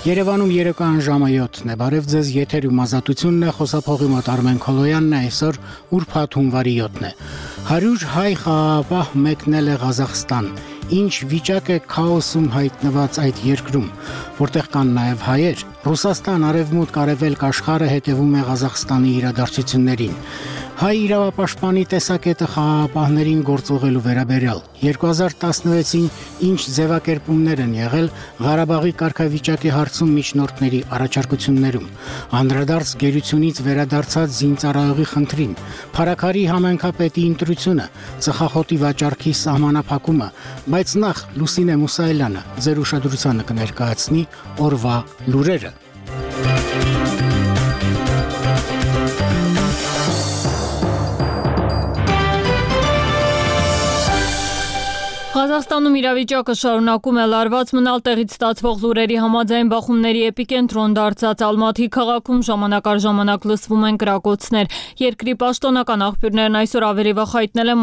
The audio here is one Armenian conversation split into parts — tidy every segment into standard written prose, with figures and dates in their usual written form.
Երևանում երեկոյան ժամը 7-ն է, բարև ձեզ, եթերում ազատությունն է, խոսափողի մոտ Արմեն Քոլոյանն է, այսօր ուրբաթ հունվարի 7-ն է։ 100 հայ խաղաղապահ մեկնել է Ղազախստան, ինչ վիճակ է քաոսում հայտնված այդ երկրում, որտեղ կան նաև հայեր, Ռուսաստան, Արևմուտք, Արևելք աշխարհը հետևում է Ղազախստանի իրադարձություններին։ Հայ իրավապաշտպանի տեսակետը խաղաղապահներին գործողելու վերաբերյալ 2016-ին ինչ ձևակերպումներ են եղել Ղարաբաղի կարգավիճակի հարցում միջնորդների առաջարկություններում, անդրադարձ գերությունից վերադարձած զինծառայողի խնդրին, Փարաքարի համայնքապետի ընտրությունը, ծխախոտի վաճառքի սահմանափակումը, բայց նախ Լուսինե Մուսայելյանը ձեր ուշադրությանը կներկայացնի օրվա լուրերը։ Ղազախստանում իրավիճակը շարունակում է լարված մնալ տեղից ստացվող լուրերի համաձայն բախումների էպիկենտրոն դարձած Ալմաթի քաղաքում ժամանակ առ ժամանակ լսվում են կրակոցներ։ Երկրի պաշտոնական աղբյուրներն այսօր ավելի վաղ հայտնել են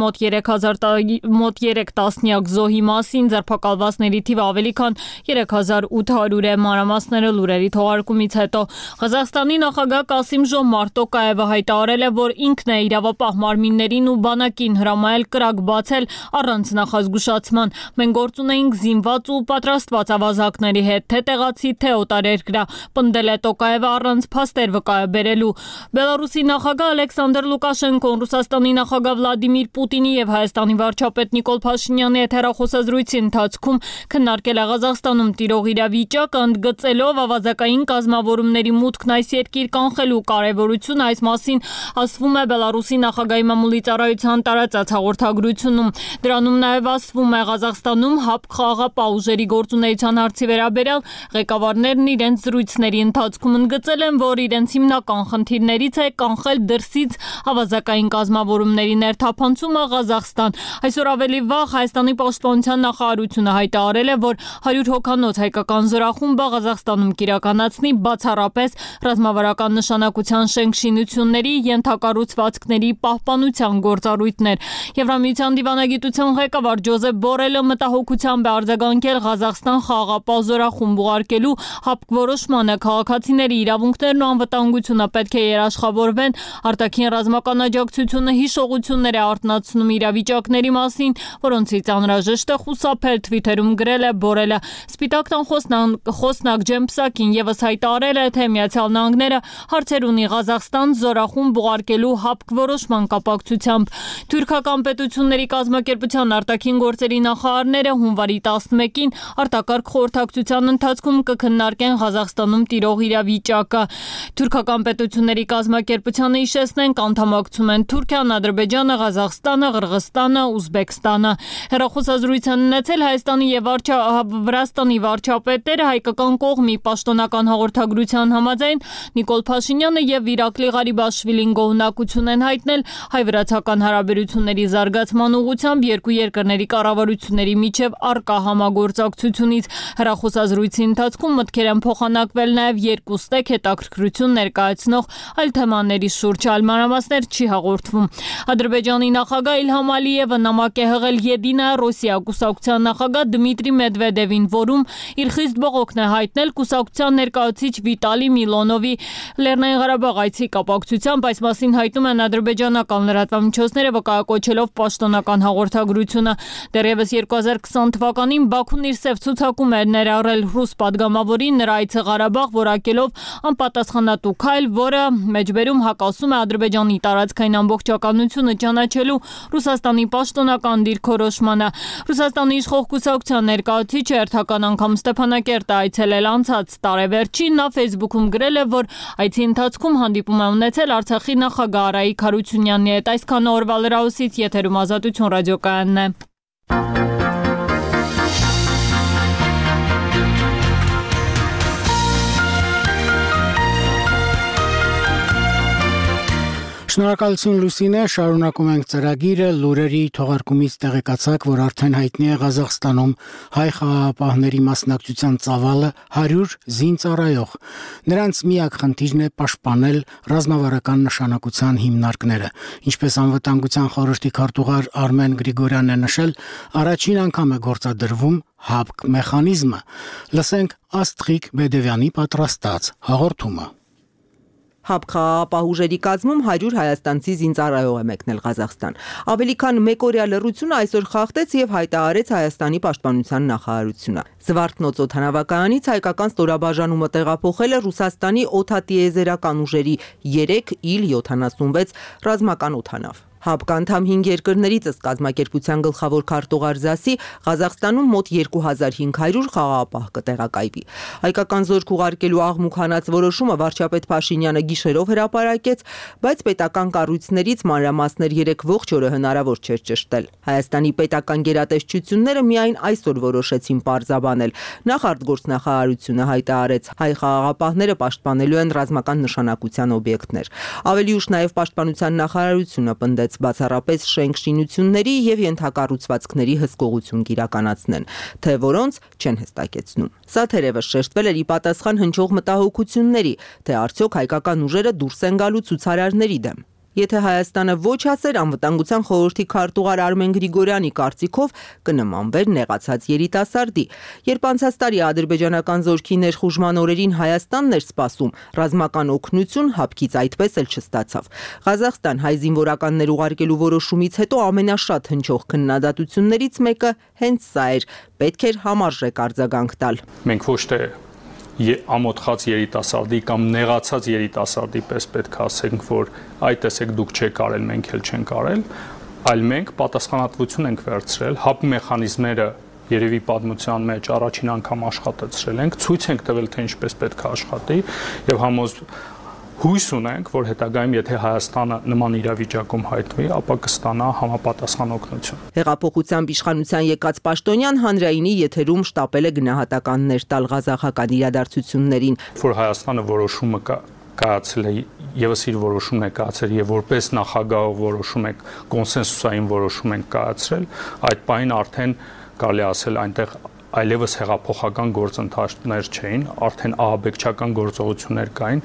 մոտ 3 տասնյակ զոհի մասին, ձերբակալվածների թիվը ավելի քան 3800 է։ Մանրամասները լուրերի թողարկումից հետո Ղազախստանի նախագահ Կասիմ-Ժոմարտ Տոկաևը հայտարարել է, որ ինքն է իրավապահ մարմիններին ու բանակին հրամայել կրակ բացել առանց նախազգուշացման։ Մենք գործ ունեինք զինված ու պատրաստված ավազակների հետ, թե տեղացի, թե օտարերկրյա, պնդել է Տոկաևը առանց փաստեր վկայաբերելու։ Բելարուսի նախագահ Ալեքսանդր Լուկաշենկոն Ռուսաստանի նախագահ Վլադիմիր Պուտինի եւ Հայաստանի վարչապետ Նիկոլ Փաշինյանի հետ հեռախոսազրույցի ընթացքում քննարկել է Ղազախստանում տիրող իրավիճակը, ընդգծելով ավազակային կազմավորումների մուտքն այս երկիր կանխելու կարևորությունը, այս մասին ասվում է Բելարուսի նախագահի մամուլի ծառայության տարածած հաղորդագրությունում։ Դրանում նաեւ ասվում է Ղազախստանում ՀԱՊԿ խաղաղապահ ուժերի գործունեության հարցի վերաբերյալ ղեկավարներն իրենց զրույցների ընթացքում ընդգծել են, որ իրենց հիմնական խնդիրներից է կանխել դրսից ավազակային կազմավորումների ներթափանցումը Ղազախստան։ Այսօր ավելի վաղ Հայաստանի պաշտպանության նախարարությունը հայտարարել է, որ 100 հոգանոց հայկական զորախումբը Ղազախստանում կիրականացնի բացառապես ռազմավարական նշանակության շենք-շինությունների, ենթակառուցվածքների պահպանության գործառույթներ։ Եվրամիության դիվանագիտության ղեկավար Ջոզեփ Բորելը մտահոգությամբ է արձագանքել Ղազախստան խաղաղապահ զորախումբ ուղարկելու ՀԱՊԿ որոշմանը, քաղաքացիների իրավունքներն ու անվտանգությունը պետք է երաշխավորվեն, արտաքին ռազմական աջակցությունը հիշողություններ է արթնացնում իրավիճակների մասին, որոնցից անհրաժեշտ է խուսափել, Թվիթերում գրել է Բորելը։ Սպիտակ տան խոսնակ Ջեմ Պսակին ևս հայտարարել է, թե Միացյալ Նահանգները հարցեր ունի Ղազախստան զորախումբ ուղարկելու ՀԱՊԿ որոշման կապակցությամբ։ Թուրքական պետությունների կազմակերպության արտաքին գործերի նախարարները հունվարի 11-ին արտակարգ խորհրդակցության ընթացքում կքննարկեն Ղազախստանում տիրող իրավիճակը։ Թուրքական պետությունների կազմակերպությանը հիշեցնենք անդամակցում են Թուրքիան, Ադրբեջանը, Ղազախստանը, Ղրղստանը, Ուզբեկստանը։ Հեռախոսազրույց են ունեցել Հայաստանի եւ Վրաստանի վարչապետերը, հայկական կողմի պաշտոնական հաղորդագրության համաձայն Նիկոլ Փաշինյանը եւ Իրակլի Ղարիբաշվիլին գոհունակություն են հայտնել հայ-վրացական հարաբերությունների զարգացման ուղղությամբ երկու երկրների կառավարությունների միջև առկա համագործակցությունից։ Հեռախոսազրույցի ընթացքում մտքեր են փոխանակվել նաև երկու ստեկ հետաքրքրություն ներկայացնող այլ թեմաների շուրջ, այլ մանրամասներ չի հաղորդվում։ Ադրբեջանի նախագահ Իլհամ Ալիևը նամակ է հղել Եդինայա Ռոսիա կուսակցության նախագահ Դմիտրի Մեդվեդևին, որում իր խիստ բողոքն է հայտնել կուսակցության ներկայացուցիչ Վիտալի Միլոնովի Լեռնային Ղարաբաղ այցի կապակցությամբ, այս մասին հայտնում են ադրբեջանական լրատվամիջոցները, վկայակոչելով պաշտոնական հաղորդագրությունը։ Դեռևս 2020 թվականին Բաքուն իր սև ցուցակում էր ներառել ռուս падգամավորին նրա այցը Ղարաբաղ որակելով անպատասխանատու քայլ, որը մեջբերում հակասում է Ադրբեջանի տարածքային ամբողջականությունը ճանաչելու Ռուսաստանի պաշտոնական դիրքորոշմանը։ Ռուսաստանի իշխող կուսակցության ներկայացուցիչը հերթական անգամ Ստեփանակերտ այցելել անցած տարեվերջին, նա Facebook-ում գրել է, որ այցի ընթացքում հանդիպում է ունեցել Արցախի նախագահ Արայիկ Հարությունյանի հետ։ Այսքան օրվա լրահոսից եթերում Ազատություն ռադիոկայանն է։ Շնորհակալություն Լուսինե, շարունակում ենք ծրագիրը, լուրերի թողարկումից տեղեկացաք, որ արդեն հայտնի է Ղազախստանում հայ խաղաղապահների մասնակցության ծավալը 100 զինծառայող։ Նրանց միակ խնդիրն է պաշտպանել ռազմավարական նշանակության հիմնարկները։ Ինչպես անվտանգության խորհրդի քարտուղար Արմեն Գրիգորյանն է նշել, առաջին անգամ է գործադրվում ՀԱԲԿ մեխանիզմը։ Լսենք Աստղիկ Բեդևյանի պատրաստած հաղորդումը։ ՀԱԲԿ խաղաղապահ ուժերի կազմում 100 հայաստանցի զինծառայող է մեկնել Ղազախստան։ Ավելի քան մեկօրյա լռությունը այսօր խախտեց եւ հայտարարեց Հայաստանի պաշտպանության նախարարությունը։ Զվարթնոց օդանավակայանից հայկական ստորաբաժանումը տեղափոխել է Ռուսաստանի օդատիեզերական ուժերի 3 Il-76 ռազմական օդանավ։ ՀԱԲԿ անդամ 5 երկրներից ըստ կազմակերպության գլխավոր քարտուղար ԶԱՍ-ի Ղազախստանում մոտ 2500 խաղաղապահ կտեղակայվի։ Հայկական զորք ուղարկելու աղմուկ հանած որոշումը վարչապետ Փաշինյանը գիշերով հրապարակեց, բայց պետական կառույցներից մանրամասներ 3 ողջ օրը հնարավոր չէր ճշտել։ Հայաստանի պետական գերատեսչությունները միայն այսօր որոշեցին պարզաբանել։ Նախ արտգործնախարարությունը հայտարարեց, հայ խաղաղապահները պաշտպանելու են ռազմական նշանակության օբյեկտներ։ Ավելի ուշ նաև պաշտպանության նախարարությունը պնդեց բացառապես շենք շինությունների եւ ենթակառուցվածքների հսկողություն կիրականացնեն, թե որոնց չեն հստակեցնում։ Սա թերևս շեշտվել էր ի պատասխան հնչող մտահոգությունների, թե արդյոք հայկական ուժերը դուրս են գալու ցուցարարների դեմ։ Եթե Հայաստանը ոչ ասեր, անվտանգության խորհրդի քարտուղար Արմեն Գրիգորյանի կարծիքով կնմանվեր նեղացած երիտասարդի։ Երբ անցած տարի ադրբեջանական զորքի ներխուժման օրերին Հայաստանն էր սպասում, ռազմական օգնություն ՀԱԲԿ-ից այդպես էլ չստացավ։ Ղազախստան հայ զինվորականներ ուղարկելու որոշումից հետո ամենաշատ հնչող քննադատություններից մեկը հենց սա էր. պետք էր համարժեք արձագանք տալ։ Մենք ոչ թե ամոթխած երիտասարդի կամ նեղացած երիտասարդի պես պետք է ասենք, որ այ տեսեք դուք չեք արել, մենք էլ չենք արել, այլ մենք պատասխանատվություն ենք վերցրել, ՀԱԲ մեխանիզմները երևի պատմության մեջ առաջին անգամ աշխատեցրել ենք, ցույց ենք տվել, թե ինչպես պետք է աշխատի եւ հույս ունենք, որ հետագայում եթե Հայաստանը նման իրավիճակում հայտնվի, ապա կստանա համապատասխան օգնություն։ Հեղափոխությամբ իշխանության եկած պաշտոնյան հանրայինի եթերում շտապել է գնահատականներ տալ ղազախական իրադարձություններին, որ Հայաստանը որոշումը կայացել է, եւս իր որոշումն է կայացել եւ որպես նախագահ որոշում է կոնսենսուսային որոշում են կայացրել, այդ պահին արդեն կարելի ասել այնտեղ այլևս հեղափոխական գործընթացներ չէին, արդեն ահաբեկչական գործողություններ կային։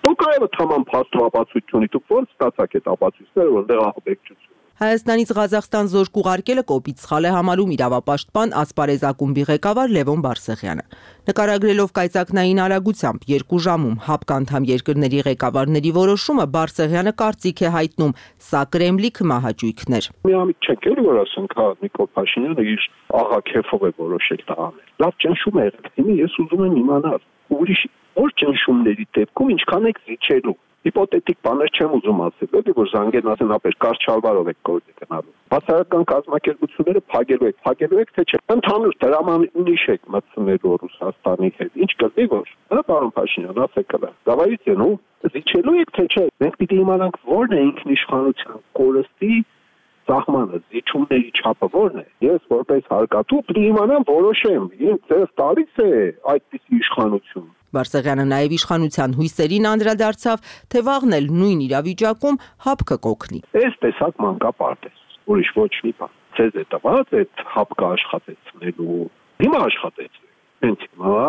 Դուք այո թաման փաստաբացությունի դուք ո՞ր ստացաք այդ ապացույցները, որտեղ ահաբեկչություն։ Հայաստանից Ղազախստան զորք ուղարկելը կոպիտ սխալ է համարում իրավապաշտպան Ասպարեզ ակումբի ղեկավար Լևոն Բարսեղյանը։ Նկարագրելով կայծակնային արագությամբ 2 ժամում ՀԱԲԿ անդամ երկրների ղեկավարների որոշումը Բարսեղյանը կարծիք է հայտնում, սա Կրեմլի քմահաճույքներ։ Միամիտ չեք էլի որ ասենք, հա Նիկոլ Փաշինյանը իր աղա քեֆով է որոշել դա անել։ Լավ ճնշում է եղել։ Հիմա ես ուզում եմ իմանալ, ուրիշ որ ճնշումների դեպքում ինչքան եք զիջելու։ Հիպոթետիկ բաներ չեմ ուզում ասել, էլի որ զանգեն ասեն ապեր կարճ շալվարով եք գործի գնալու։ Բացառական կազմակերպությունները փակելու եք թե չէ։ Ընդհանուր դրամանիշ եք մտցնելու Ռուսաստանի հետ։ Ինչ կլինի որ, հա պարոն Փաշինյան, ասեք կլա։ Դավայից ու զիջելու եք թե չէ։ Մենք պիտի իմանանք որն է ինքնիշխանության կորստի սահմանը, զիջումների չափը որն է։ Ես որպես հարկատու պիտի իմանամ որոշեմ, ինձ ձեզ տալիս է այդպիսի իշխանություն։ Բարսեղյանը նաև իշխանության հույսերին անդրադարձավ, թե վաղն էլ նույն իրավիճակում ՀԱԲԿ կօգնի։ Այս տեսակ մանկապարտ է, ուրիշ ոչ մի բան։ Ձեզ է տված այդ ՀԱԲԿ աշխատեցնելու։ Հիմա աշխատեցրեք։ Հենց հիմա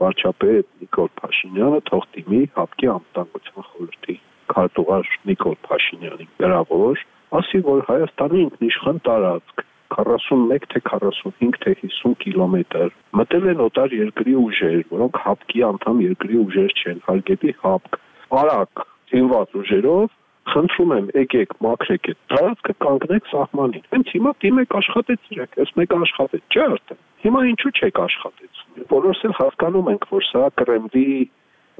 վարչապետ Նիկոլ Փաշինյանը թող դիմի ՀԱԲԿ-ի անվտանգության խորհրդի քարտուղար Նիկոլ Փաշինյանի գրավոր, ասի որ Հայաստանի ինքնիշխան տարածք 41 թե 45 թե 50 կիլոմետր մտել են օտար երկրի ուժեր, որոնք ՀԱԲԿ-ի անդամ երկրի ուժեր չեն, հարգելի ՀԱԲԿ, արագ զինված ուժերով, խնդրում եմ, եկեք, մաքրեք այդ տարածքը, կանգնեք սահմանին։ Հենց հիմա դիմեք աշխատեցրեք, այս մեկը աշխատեց, չէ՞ արդեն։ Հիմա ինչու չեք աշխատեցնում։ Բոլորս էլ հասկանում ենք, որ սա Կրեմլի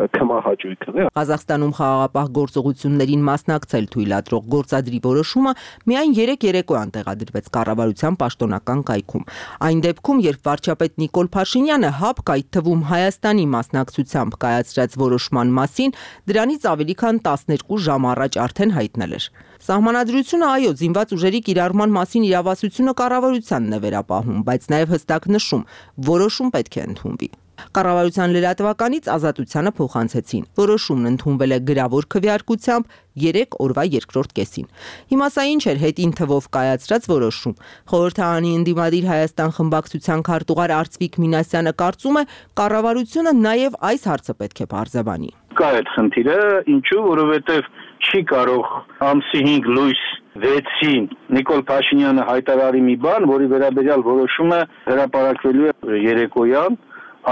քմահաճույքն է։ Ղազախստանում խաղաղապահ գործողություններին մասնակցել թույլատրող գործադրի որոշումը միայն 3 երեկոյան տեղադրվեց կառավարության պաշտոնական կայքում։ Այն դեպքում, երբ վարչապետ Նիկոլ Փաշինյանը ՀԱԲԿ, այդ թվում Հայաստանի մասնակցությամբ կայացրած որոշման մասին դրանից ավելի քան 12 ժամ առաջ արդեն հայտնել էր։ Սահմանադրությունը այո, զինված ուժերի կիրառման մասին իրավասությունը կառավարությանն է վերապահում, բայց նաև հստակ նշում, որոշում պետք է ընդունվի։ Կառավարության լրատվականից Ազատությանը փոխանցեցին։ Որոշումն ընդունվել է գրավոր քվեարկությամբ 3 օրվա երկրորդ կեսին։ Հիմա սա ինչ էր հետին թվով կայացրած որոշում։ Խորհրդարանի ընդդիմադիր Հայաստան խմբակցության քարտուղար Արծվիկ Մինասյանը կարծում է, կառավարությունը նաև այս հարցը պետք է բարձրաբանի։ Կա այդ խնդիրը, ինչու, որովհետև չի կարող ամսի 5 լույս 6-ին Նիկոլ Փաշինյանը հայտարարի մի բան, որի վերաբերյալ որոշումը հրապարակվելու է երեկոյան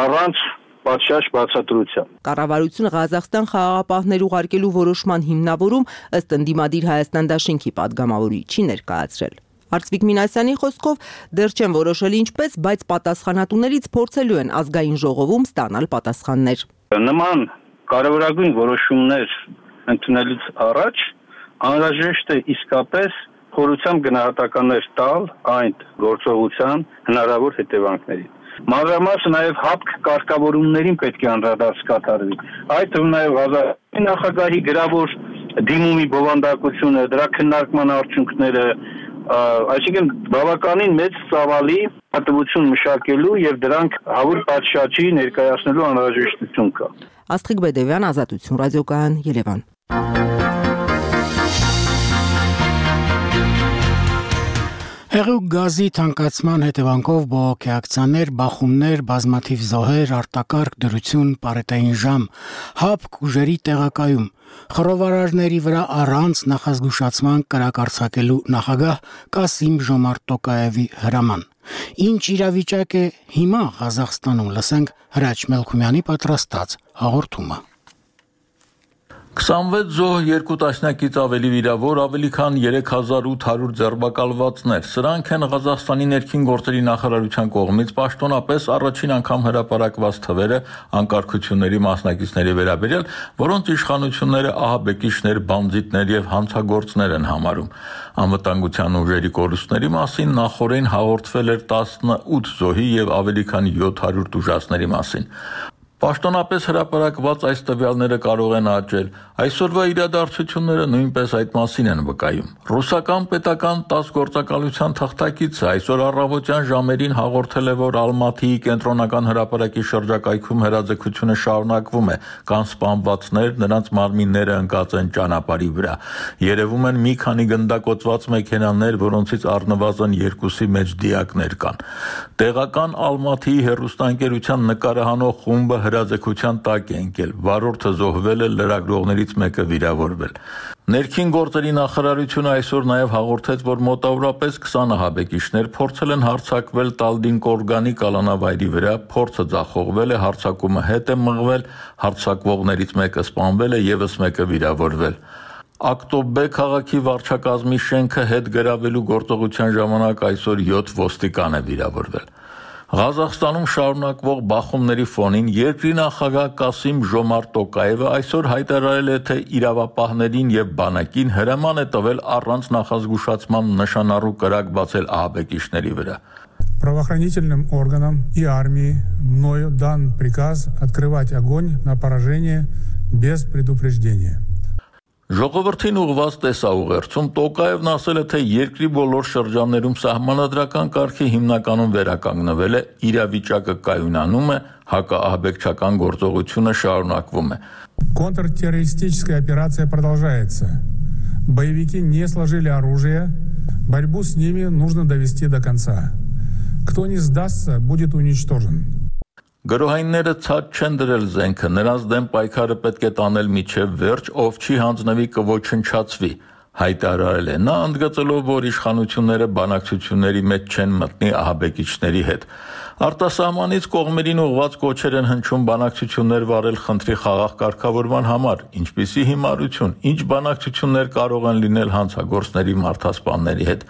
առանց պատշաճ բացատրության։ Կառավարությունը Ղազախստան խաղաղապահներ ուղարկելու որոշման հիմնավորում ըստ ընդդիմադիր Հայաստան դաշինքի падգամավորի չի ներկայացրել։ Արծվիկ Մինասյանի խոսքով դեռ չեն որոշել ինչպես, բայց պատասխանատուներից փորձելու են ազգային ժողովում ստանալ պատասխաններ։ Նման կարևորագույն որոշումներ ընդունելուց առաջ անհրաժեշտ է իսկապես խորությամբ գնահատականներ տալ այն գործողության հնարավոր հետևանքներին։ Մանրամասն նաև հապկ կարգավորումներին պետք է անդրադարձ կատարվի։ Այդ թվում նաև Ղազախստանի նախագահի գրավոր դիմումի բովանդակությունը, դրա քննարկման արդյունքները, այսինքն բավականին մեծ ծավալի պատմություն մշակելու եւ դրանք հավուր պատշաճի ներկայացնելու անհրաժեշտություն կա։ Աստղիկ Բեդևյան, Ազատություն ռադիոկայան, Երևան։ Հեղուկ գազի թանկացման հետևանքով բողոքի ակցիաներ, բախումներ, բազմաթիվ զոհեր, արտակարգ դրություն, պարետային ժամ, հապկ ուժերի տեղակայում, խռովարարների վրա առանց նախազգուշացման կրակ արձակելու նախագահ Կասիմ-Ժոմարտ Տոկաևի հրաման։ Ինչ իրավիճակ է հիմա Ղազախստանում, լսենք Հրաչ Մելքումյանի պատրաստած հաղորդումը։ 26 զոհ, 2 տասնյակից ավելի վիրավոր, ավելի քան 3800 ձերբակալվածներ։ Սրանք են Ղազախստանի ներքին գործերի նախարարության կողմից պաշտոնապես առաջին անգամ հրապարակված թվերը անկարգությունների մասնակիցների վերաբերյալ, որոնց իշխանությունները ահաբեկիչներ, բանձիտներ եւ հանցագործներ են համարում։ Անվտանգության ուժերի կորուստների մասին նախորդին հաղորդվել էր 18 զոհի եւ ավելի քան 700 տուժածների մասին։ Պաշտոնապես հրապարակված այս տվյալները կարող են աճել։ Այսօրվա իրադարձությունները նույնպես այդ մասին են վկայում։ Ռուսական պետական 10 գործակալության թղթակիցը այսօր առավոտյան ժամերին հաղորդել է, որ Ալմաթիի կենտրոնական հրապարակի շրջակայքում հրաձգությունը շարունակվում է, կան սպանվածներ, նրանց մարմինները ընկած են ճանապարհի վրա։ Երևում են մի քանի գնդակոծված մեքենաներ, որոնցից առնվազն 2-ի մեջ դիակներ կան։ Տեղական Ալմաթիի հեռուստաընկերության նկարահանող խումբը հրաձգության տակ է ընկել, վարորդը զոհվել է, լրագրողներից մեկը վիրավորվել։ Ներքին գործերի նախարարությունը այսօր նաև հաղորդեց, որ մոտավորապես 20 ահաբեկիչներ փորձել են հարձակվել Տալդինկորգանի կալանավայրի վրա, փորձը ձախողվել է, հարձակումը հետ է մղվել, հարձակվողներից մեկը սպանվել է, ևս մեկը վիրավորվել։ Ակտոբե քաղաքի վարչակազմի շենքը հետ գրավելու գործողության ժամանակ այսօր 7 ոստիկան է վիրավորվել։ Ղազախստանում շարունակվող բախումների ֆոնին երկրի նախագահ Կասիմ-Ժոմարտ Տոկաևը այսօր հայտարարել է, թե իրավապահներին եւ բանակին հրաման է տվել առանց նախազգուշացման նշանառու կրակ բացել ահաբեկիչների վրա։ Правоохранительным органам и армии мною дан приказ открывать огонь на поражение без предупреждения. Ժողովրդին ուղղված տեսաուղերձում Տոկաևն ասել է, թե երկրի բոլոր շրջաններում սահմանադրական կարգի հիմնականում վերականգնվել է, իրավիճակը կայունանում է, հակաահաբեկչական գործողությունը շարունակվում է։ Контртеррористическая операция продолжается. Боевики не сложили оружие, борьбу с ними нужно довести до конца. Кто не сдастся, будет уничтожен. Գրոհայինները ցած չեն դրել զենքը, նրանց դեմ պայքարը պետք է տանել միջև վերջ, ով չի հանձնվի կոչնչացվի, հայտարարել է նա, ընդգծելով, որ իշխանությունները բանակցությունների մեջ չեն մտնի ահաբեկիչների հետ։ Արտասահմանից կողմերին ուղղված կոչեր են հնչում բանակցություններ վարել խնդրի խաղաղ կարգավորման համար, ինչպիսի հիմարություն, ինչ բանակցություններ կարող են լինել հանցագործների մարդասպանների հետ։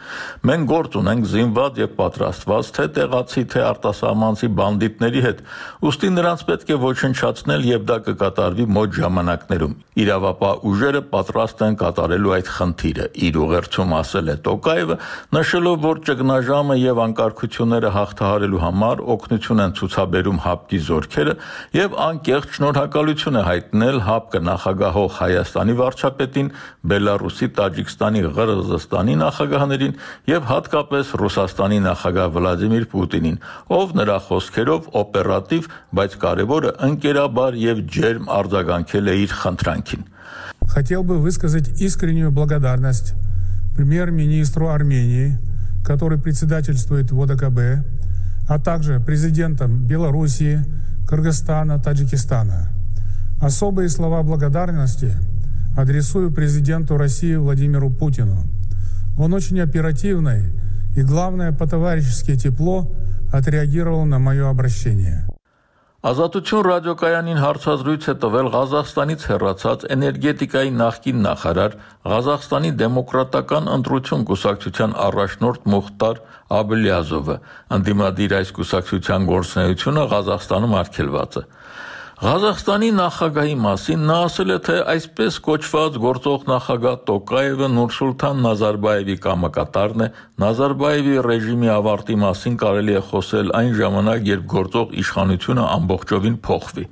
Մենք գործ ունենք զինված եւ պատրաստված թե տեղացի, թե արտասահմանցի բանդիտների հետ, ուստի նրանց պետք է ոչնչացնել եւ դա կկատարվի մոտ ժամանակներում։ Իրավապահ ուժերը պատրաստ են կատարելու այդ խնդիրը, իր ուղերձում ասել է Տոկաևը, նշելով, որ ճգնաժամը եւ անկարգությունները հաղթահարելու համար օգնություն են ցուցաբերում հապկի զորքերը եւ անկեղծ շնորհակալություն է հայտնել հապկը նախագահող Հայաստանի վարչապետին, Բելարուսի, Տաջիկստանի, Ղրղզստանի նախագահներին եւ հատկապես Ռուսաստանի նախագահ Վլադիմիր Պուտինին, ով նրա խոսքերով օպերատիվ, բայց կարևորը ընկերաբար եւ ջերմ արձագանքել է իր խնդրանքին։ Хотел бы высказать искреннюю благодарность премьер-министру Армении, который председательствует в ОДКБ, а также президентам Белоруссии, Кыргызстана, Таджикистана. Особые слова благодарности адресую президенту России Владимиру Путину. Он очень оперативно и, главное, по-товарищески тепло отреагировал на мое обращение. Ազատություն ռադիոկայանին հարցազրույց է տվել Ղազախստանից հեռացած էներգետիկայի նախկին նախարար, Ղազախստանի դեմոկրատական ընտրություն կուսակցության առաջնորդ Մուխտար Աբլիազովը, ընդդիմադիր այս կուսակցության գործունեությունը Ղազախստանում արգելված է։ Ղազախստանի նախագահի մասին նա ասել է, թե այսպես կոչված գործող նախագահ Տոկաևը Նուրսուլթան Նազարբաևի կամակատարն է, Նազարբաևի ռեժիմի ավարտի մասին կարելի է խոսել այն ժամանակ, երբ գործող իշխանությունը ամբողջովին փոխվի։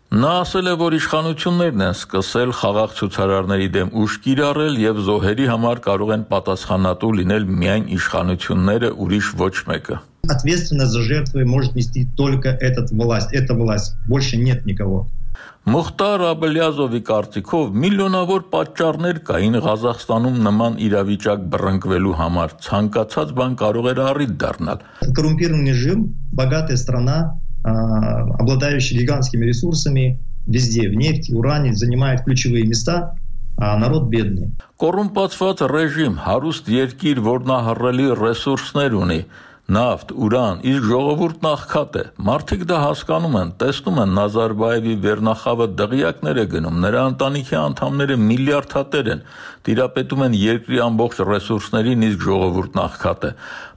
Նա ասել է, որ իշխանություններն են սկսել խաղաղ ցուցարարների դեմ ուժ կիրառել եւ զոհերի համար կարող են պատասխանատու լինել միայն իշխանությունները, ուրիշ ոչ մեկը։ Ответственность за жертвы может нести только эта власть. Больше нет никого. Մուխտար Աբլիազովի կարծիքով միլիոնավոր պատճառներ кային Ղազախստանում նման իրավիճակ բռնկվելու համար, ցանկացած բան կարող էր առիթ дառնալ։ Коррумпированный режим, богатая страна, обладающая гигантскими ресурсами, везде в нефти, уране, занимает ключевые места, а народ бедный. Կոռումպացված ռեժիմ, հարուստ երկիր, որն ահռելի ռեսուրսներ ունի, նավթ, ուրան, իսկ ժողովուրդն աղքատ է։ Մարդիկ դա հասկանում են, տեսնում են Նազարբաևի վերնախավը դղյակներ է գնում, նրա ընտանիքի անդամները միլիարդատեր են, տիրապետում են երկրի ամբողջ ռեսուրսներին, իսկ ժողովուրդն աղքատ է։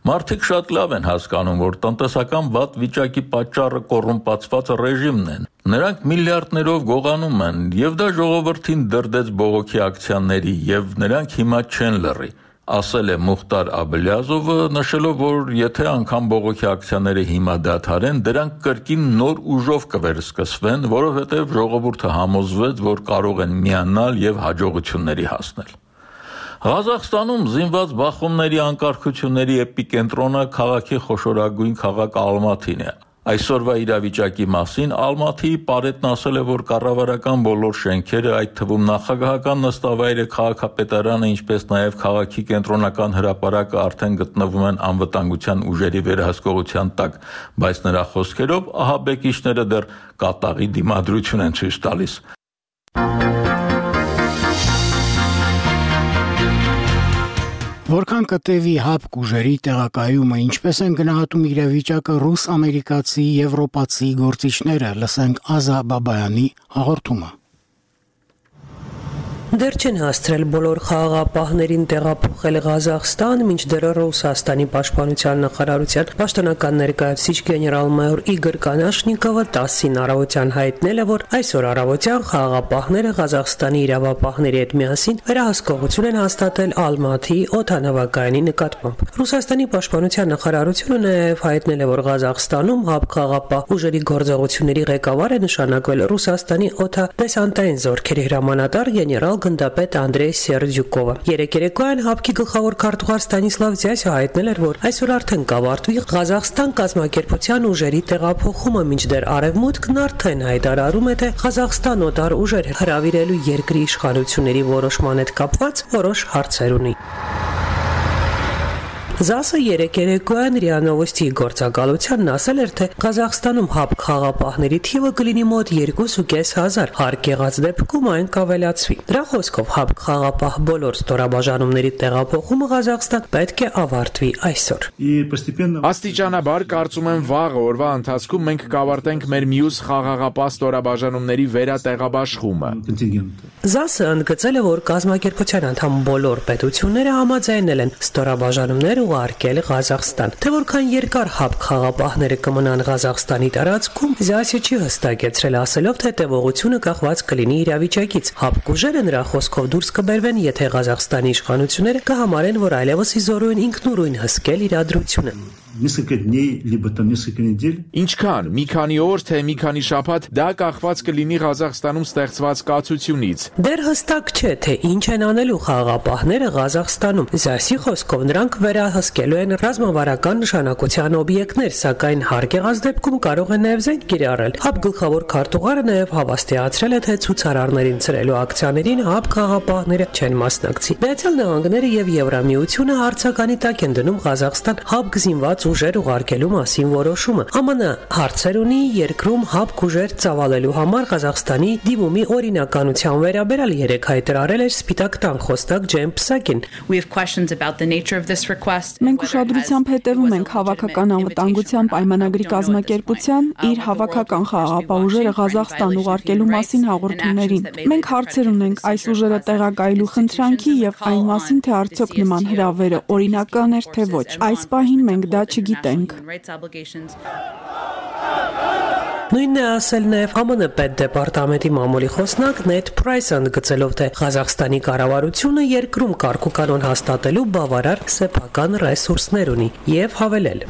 Մարդիկ շատ լավ են հասկանում, որ տնտեսական վատ վիճակի պատճառը կոռումպացված ռեժիմն է։ Նրանք միլիարդներով գողանում են, եւ դա ժողովրդին դրդեց բողոքի ակցիաների, եւ նրանք հիմա չեն լռի։ Ասել է Մուխտար Աբլիազովը, նշելով, որ եթե անգամ բողոքի ակցիաները հիմա դադարեն, դրանք կրկին նոր ուժով կվերսկսվեն, որովհետև ժողովուրդը համոզվեց, որ կարող են միանալ եւ հաջողությունների հասնել։ Ղազախստանում զինված բախումների անկարգությունների էպիկենտրոնը քաղաքի խոշորագույն քաղաք Ալմաթին է։ Այսօրվա իրավիճակի մասին Ալմաթիի Պարետն ասել է, որ կառավարական բոլոր շենքերը, այդ թվում նախագահական նստավայրը, քաղաքապետարանը, ինչպես նաև քաղաքի կենտրոնական հրապարակը արդեն գտնվում են անվտանգության ուժերի վերահսկողության տակ, բայց նրա խոսքերով ահաբեկիչները դեռ կատաղի դիմադրություն են ցույց տալիս։ Որքան կտևի հապկ ուժերի տեղակայումը, ինչպես են գնահատում իրավիճակը ռուս-ամերիկացի, եվրոպացի գործիչները, լսենք Ազա Բաբայանի հաղորդումը։ Դեռ չեն հասցրել բոլոր խաղաղապահներին տեղափոխել Ղազախստան, մինչդեռ Ռուսաստանի պաշտպանության նախարարության պաշտոնական ներկայացուցիչ գեներալ-մայոր Իգոր Կանաշնիկովը 10-ին առավոտյան հայտնել է, որ այսօր առավոտյան խաղաղապահները Ղազախստանի իրավապահների հետ միասին վերահսկողություն են հաստատել Ալմաթիի օդանավակայանի նկատմամբ։ Ռուսաստանի պաշտպանության նախարարությունը նաև հայտնել է, որ Ղազախստանում խաղաղապահ ուժերի գործողությունների ղեկավար է նշանակվել Ռուսաստանի օդադեսանտային զորքերի հրամանատար գեներալ գնդապետ Անդրեյ Սերդյուկովը։ Երեկոյան հապկի գլխավոր քարտուղար Ստանիսլավ Ձյասը հայտնել էր, որ այսօր արդեն կավարտվի Ղազախստան կազմակերպության ուժերի տեղափոխումը, մինչդեռ Արևմուտքն արդեն հայտարարում է, թե Ղազախստան օտար ուժեր հրավիրելու երկրի իշխանությունների որոշման հետ կապված որոշ հարցեր ունի։ ԶԱՍ-ը երեկոյան ՌԻԱ Նովոստիի գործակալությանն ասել էր, թե Ղազախստանում հապկ խաղաղապահների թիվը կլինի մոտ 2500, հարկ եղած դեպքում այն կավելացվի։ Դրա խոսքով հապկ խաղաղապահ բոլոր ստորաբաժանումների տեղափոխումը Ղազախստան պետք է ավարտվի այսօր։ Աստիճանաբար կարծում եմ վաղ օրվա ընթացքում մենք կավարտենք մեր մյուս խաղաղապահ ստորաբաժանումների վերատեղաբաշխումը։ ԶԱՍ-ը ընդգծել է, որ կազմակերպության անդամ բոլոր պետությունները համաձայնել են ստորաբաժանումները ուղարկել Ղազախստան։ Թե որքան երկար հապկ խաղաղապահները կմնան Ղազախստանի տարածքում, ԶԱՍ-ը չի հստակեցրել, ասելով, թե տևողությունը կախված կլինի իրավիճակից։ Հապկ ուժերը նրա խոսքով դուրս կբերվեն, եթե Ղազախստանի իշխանությունները կհամարեն, որ այլևս իզորու են ինքնուրույն հսկել իրադրությունը։ Ինչքան, մի քանի օր, թե մի քանի շաբաթ, դա կախված կլինի Ղազախստանում ստեղծված կացությունից։ Դեռ հստակ չէ, թե ինչ են անելու խաղաղապահները Ղազախստանում։ ԶԱՍ-ի խոսքով նրանք վերահսկելու են ռազմավարական նշանակության օբյեկտներ, սակայն հարկ եղած դեպքում կարող են նաև զենք կիրառել։ ՀԱՊ գլխավոր քարտուղարը նաև հավաստիացրել է, թե ցուցարարներին ցրելու ակցիաներին ՀԱՊ խաղաղապահները չեն մասնակցի։ Միացյալ Նահանգները եւ Եվրամիությունը հարցականի տակ են դնում Ղազախստան ՀԱՊ զինված ուժեր ուղարկելու մասին որոշումը։ ԱՄՆ հարցեր ունի երկրում հապկ ուժեր ծավալելու համար Ղազախստանի դիմումի օրինականության վերաբերյալ երեկ հայտարարել էր Սպիտակ տան խոսնակ Ջեյմ Պսակին։ Մենք ուշադրությամբ հետևում ենք հավաքական անվտանգության պայմանագրի կազմակերպության իր հավաքական խաղաղապահ ուժերը Ղազախստան ուղարկելու մասին հաղորդումներին։ Մենք հարցեր ունենք այս ուժերը տեղակայելու խնդրանքի եւ այն մասին, թե արդյոք նման հրավերը օրինական էր թե ոչ։ Այս պահին մենք դա չգիտենք։ Նույնն է ասել նաև ԱՄՆ պետդեպարտամենտի մամուլի խոսնակ Նեթ Պրայսը, ընդգծելով, թե Ղազախստանի կառավարությունը երկրում կարգուկանոն հաստատելու բավարար սեփական ռեսուրսներ ունի եւ հավելել.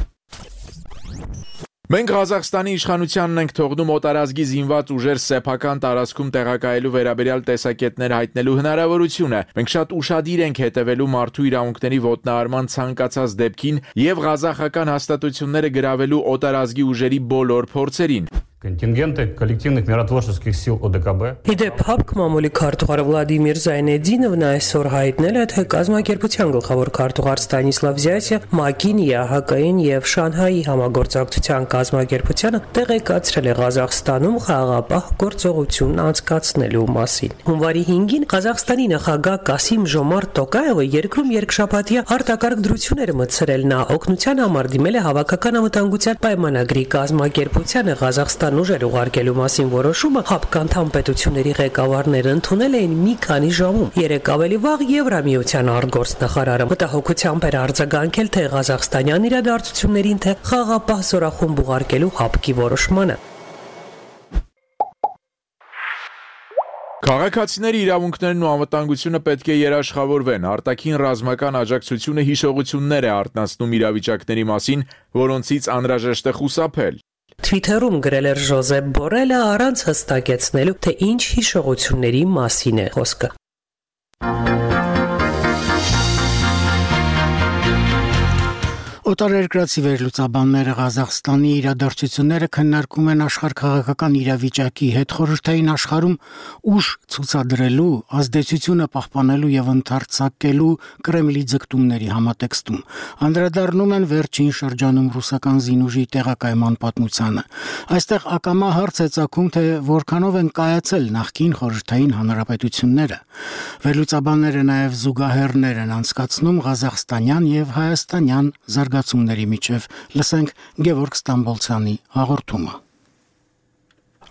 Մենք Ղազախստանի իշխանությանն ենք թողնում օտարազգի զինված ուժեր սեփական տարածքում տեղակայելու վերաբերյալ տեսակետներ հայտնելու հնարավորությունը։ Մենք շատ ուշադիր ենք հետևելու մարդու իրավունքների ոտնահարման ցանկացած դեպքին եւ ղազախական հաստատությունները գրավելու օտարազգի ուժերի բոլոր փորձերին։ Контингенты коллективных миротворческих сил ОДКБ. Իդեպ հապկ մամուլի քարտուղար Վլադիմիր Զայնեդինովն այսօր հայտնել է, թե կազմակերպության գլխավոր քարտուղար Ստանիսլավ Զյասը ՄԱԿ-ին, ԵԱՀԿ-ին եւ Շանհայի համագործակցության կազմակերպությանը տեղեկացրել է Ղազախստանում խաղաղապահ գործողություն անցկացնելու մասին։ Հունվարի 5-ին Ղազախստանի նախագահ Կասիմ Ժոմարտ Տոկայևը երկրում երկշաբաթյա արտակարգ դրություններ մտցրել։ Նա օգնության համար դիմել է հավաքական անվտանգության պայմանագրի կազմակերպությանը Ղազախստան ուժեր ուղարկելու մասին որոշումը հապկանդամ պետությունների ղեկավարները ընդունել էին մի քանի ժամում։ Երեք ավելի վաղ Եվրամիության արտգործնախարարը մտահոգությամբ էր արձագանքել թե ղազախստանյան իրադարձություններին, թե խաղաղապահ զորախումբ ուղարկելու հապկի որոշմանը։ Քաղաքացիների իրավունքներն ու անվտանգությունը պետք է երաշխավորվեն։ Արտաքին ռազմական աջակցությունը հիշողություններ է արտնասնում իրավիճակների մասին, որոնցից անհրաժեշտ է խուսափել։ Թվիթերում գրել էր Ժոզեփ Բորելը առանց հստակեցնելու, թե ինչ հիշողությունների մասին է խոսքը։ Օտարերկրացի վերլուծաբանները Ղազախստանի իրադարձությունները քննարկում են աշխարհքաղաքական իրավիճակի հետ խորհրդային աշխարհում ուժ ցուցադրելու, ազդեցությունը պահպանելու եւ ընդարձակելու Կրեմլի ձգտումների համատեքստում։ Անդրադառնում են վերջին շրջանում ռուսական զինուժի տեղակայման պատմությանը։ Այստեղ ակամա հարց է ծագում, թե որքանով են կայացել նախկին խորհրդային հանրապետությունները։ Վերլուծաբանները նաեւ զուգահեռներ են անցկացնում ղազախստանյան եւ հայաստանյան զարգացումների միջև։ Լսենք Գևորգ Ստամբոլցյանի հաղորդումը։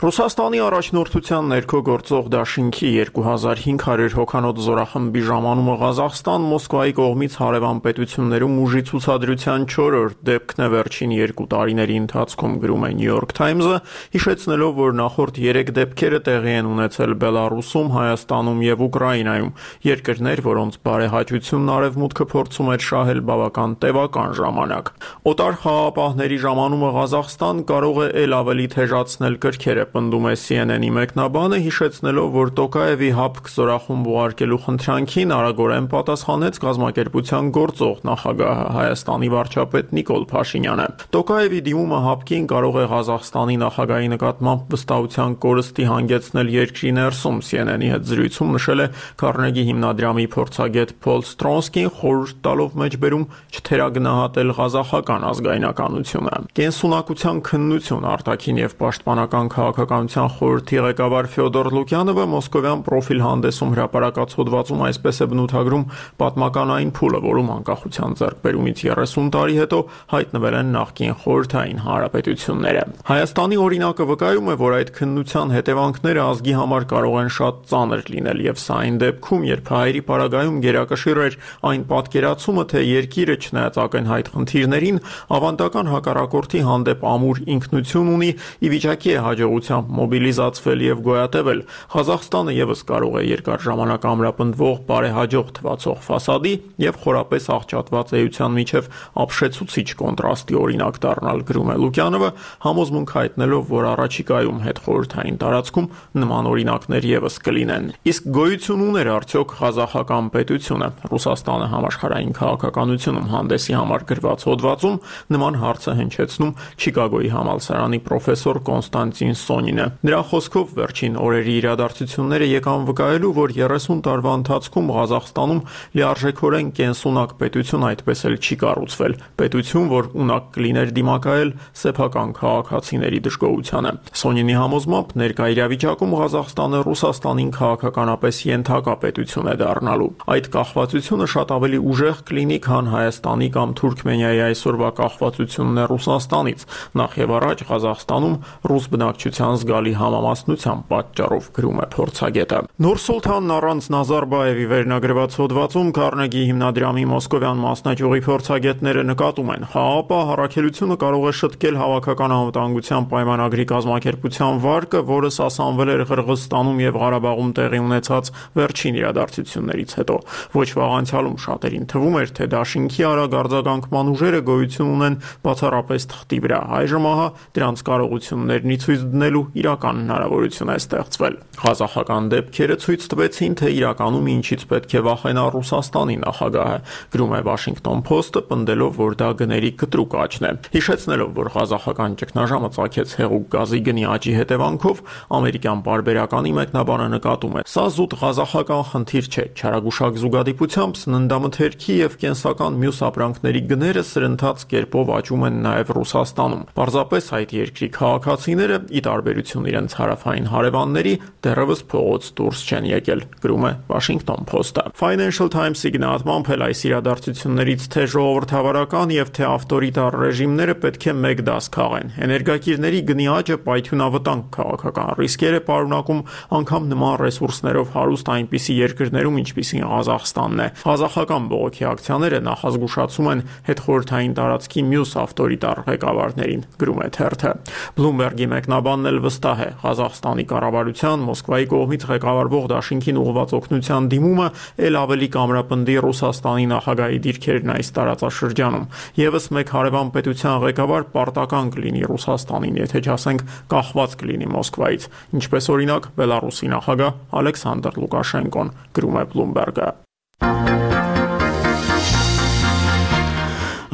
Ռուսաստանի առաջնորդության ներքո գործող դաշինքի 2500 հոգանոց զորախմբի ժամանումը Ղազախստան Մոսկվայի կողմից հարևան պետություններում ուժի ցուցադրության 4-րդ դեպքն է վերջին 2 տարիների ընթացքում, գրում է New York Times-ը, հիշեցնելով, որ նախորդ 3 դեպքերը տեղի են ունեցել Բելարուսում, Հայաստանում եւ Ուկրաինայում, երկրներ, որոնց բարեհաճությունն արևմուտքը փորձում էր շահել բավական տևական ժամանակ։ Օտար խաղաղապահների ժամանումը Ղազախստան կարող է ել ավելի թեժացնել կրքերը, պնդում է CNN-ի մեկնաբանը, հիշեցնելով, որ Տոկայևի հապկ զորախումբ ուղարկելու խնդրանքին արագորեն պատասխանեց կազմակերպության գործող նախագահը Հայաստանի վարչապետ Նիկոլ Փաշինյանը։ Տոկայևի դիմումը հապկին կարող է Ղազախստանի նախագահի նկատմամբ վստահության կորստի հանգեցնել երկրի ներսում, CNN-ի հետ զրույցում նշել է Քարնեգի հիմնադրամի փորձագետ Փոլ Ստրոնսկին, խորհուրդ տալով մեջբերում չթերագնահատել ղազախական ազգայնականությունը։ Կենսունակության քննություն, արտաքին եւ պաշտպանական քաղաքականության խորհրդի ղեկավար Ֆյոդոր Լուկյանովը մոսկովյան պրոֆիլ հանդեսում հրապարակած հոդվածում այսպես է բնութագրում պատմականային փուլը, որում անկախության ձեռքբերումից 30 տարի հետո հայտնվել են նախկին խորհրդային հանրապետությունները։ Հայաստանի օրինակը վկայում է, որ այդ քննության հետևանքները ազգի համար կարող են շատ ծանր լինել, եւ սա այն դեպքում, երբ հայերի պարագայում գերակշիռ էր այն պատկերացումը, թե երկիրը չնայած ակնհայտ խնդիրներին, ավանդական հակառակորդի հանդեպ ամուր ինքնություն ունի, ի վիճակի է հաջողությամբ մոբիլիզացվել եւ գոյատևել։ Ղազախստանը եւս կարող է երկար ժամանակ ամրապնդվող բարեհաջող թվացող ֆասադի եւ խորապես աղճատված էության միջև ապշեցուցիչ կոնտրաստի օրինակ դառնալ, գրում է Լուկյանովը, համոզմունք հայտնելով, որ առաջիկայում հետխորհրդային տարածքում նման օրինակներ եւս կլինեն։ Իսկ գոյություն ուներ արդյոք ղազախական պետությունը։ Ռուսաստանը համաշխարհային քաղաքականությունում հանդեսի համար գրված հոդվածում նման հարց է հնչեցնում Չիկագոյի համալսարանի պրոֆեսոր Կոնստանտին Սոնինը։ Նրա խոսքով վերջին օրերի իրադարձությունները եկան վկայելու, որ 30 տարվա ընթացքում Ղազախստանում լիարժեքորեն կենսունակ պետություն այդպես էլ չի կառուցվել, պետություն, որ ունակ կլիներ դիմակայել սեփական քաղաքացիների դժգոհությանը։ Սոնինի համոզմամբ ներկա իրավիճակում Ղազախստանը Ռուսաստանին քաղաքականապես ենթակա պետություն է դառնալու։ Այդ կախվածությունը շատ ավելի ուժեղ կլինի, քան Հայաստանի կամ Թուրքմենիայի այսօրվա կախվածությունն է Ռուսաստանից, նախ եւ առաջ Ղազախստանում ռուս բնակչության զգալի համամասնության պատճառով, գրում է փորձագետը։ Նուրսուլթանն առանց Նազարբաևի վերնագրված հոդվածում Քարնեգի հիմնադրամի մոսկովյան մասնաճյուղի փորձագետները նկատում են, ՀԱՊ առաքելությունը կարող է շտկել հավաքական անվտանգության պայմանագրի կազմակերպության վարկը, որը սասանվել էր Ղրղզստանում եւ Ղարաբաղում տեղի ունեցած վերջին իրադարձություններից հետո։ Ոչ վաղ անցյալում շատերին թվում էր, թե դաշինքի արագ արձագանքման ուժերը գոյություն ունեն բացառապես թղթի վրա։ Այժմ ահա դրանց կարողություններն ի ցույց դնելու իրական հնարավորություն է ստեղծվել։ Ղազախական դեպքերը ցույց տվեցին, թե իրականում ինչից պետք է վախենա Ռուսաստանի նախագահը, գրում է Washington Post-ը, պնդելով, որ դա գների կտրուկ աճն է։ Հիշեցնելով, որ ղազախական ճգնաժամը ծագեց հեղուկ գազի գնի աճի հետևանքով, ամերիկյան պարբերականի մեկնաբանը նկատում է. «Սա զուտ ղազախական խնդիր չէ, չարագուշակ զուգադիպությամբ սննդամթերքի եւ կենսական մյուս ապրանքների գները սրընթաց կերպով աճում են նաեւ Ռուսաստանում։ Պարզապես այդ երկրի քաղաքացիները, ի տարբերություն իրենց հարավային հարևանների, դեռևս փողոց դուրս չեն եկել», գրում է Washington Post-ը։ Financial Times-ի գնահատմամբ էլ այս իրադարձություններից թե ժողովրդավարական եւ թե ավտորիտար ռեժիմները պետք է մեկ դաս քաղեն։ Էներգակիրների գնի աճը պայթյունավտանգ քաղաքական ռիսկեր է պարունակում անգամ նման ռեսուրսներով հարուստ այնպիսի երկրներում, ինչպիսին Ղազախստանն է։ Ղազախական բողոքի ակցիաները նախազգուշացում են հետխորհրդային տարածքի մյուս ավտորիտար ղեկավարներին, գրում է թերթը։ Bloomberg-ի մեկնաբանն էլ վստահ է, Ղազախստանի կառավարության Մոսկվայի կողմից ղեկավարվող դաշինքին ուղղված օգնության դիմումը ել ավելի կամրապնդի Ռուսաստանի նախագահի դիրքերն այս տարածաշրջանում։ Եվս մեկ հարևան պետության ղեկավար պարտական կլինի Ռուսաստանին, եթե չասենք կախված կլինի Մոսկվայից, ինչպես օրինակ Բելարուսի նախագահ Ալեքսանդր Լուկաշենկոն, գրում է Bloomberg-ը։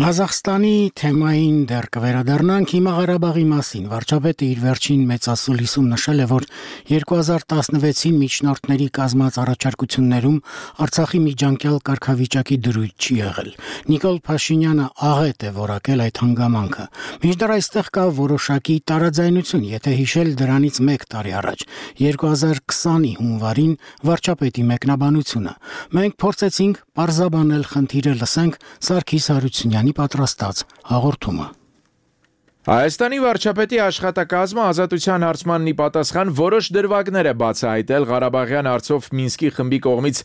Ղազախստանի թեմային դեռ կվերադառնանք հիմա Ղարաբաղի մասին։ Վարչապետը իր վերջին մեծասուլիսում նշել է, որ 2016-ին միջնորդների կազմած առաջարկություններում Արցախի միջանկյալ կարգավիճակի դրույթ չի եղել։ Նիկոլ Փաշինյանը աղետ է որակել այդ հանգամանքը։ Մինչդեռ այստեղ կա որոշակի տարաձայնություն, եթե հիշել դրանից 1 տարի առաջ, 2020-ի հունվարին վարչապետի մեկնաբանությունը։ Մենք փորձեցինք պարզաբանել խնդիրը, լսենք Սարգիս Հարությունյանի պատրաստած հաղորդումը։ Հայաստանի վարչապետի աշխատակազմը ազատության հարցմանն ի պատասխան որոշ դրվագներ է բացահայտել Ղարաբաղյան հարցով Մինսկի խմբի կողմից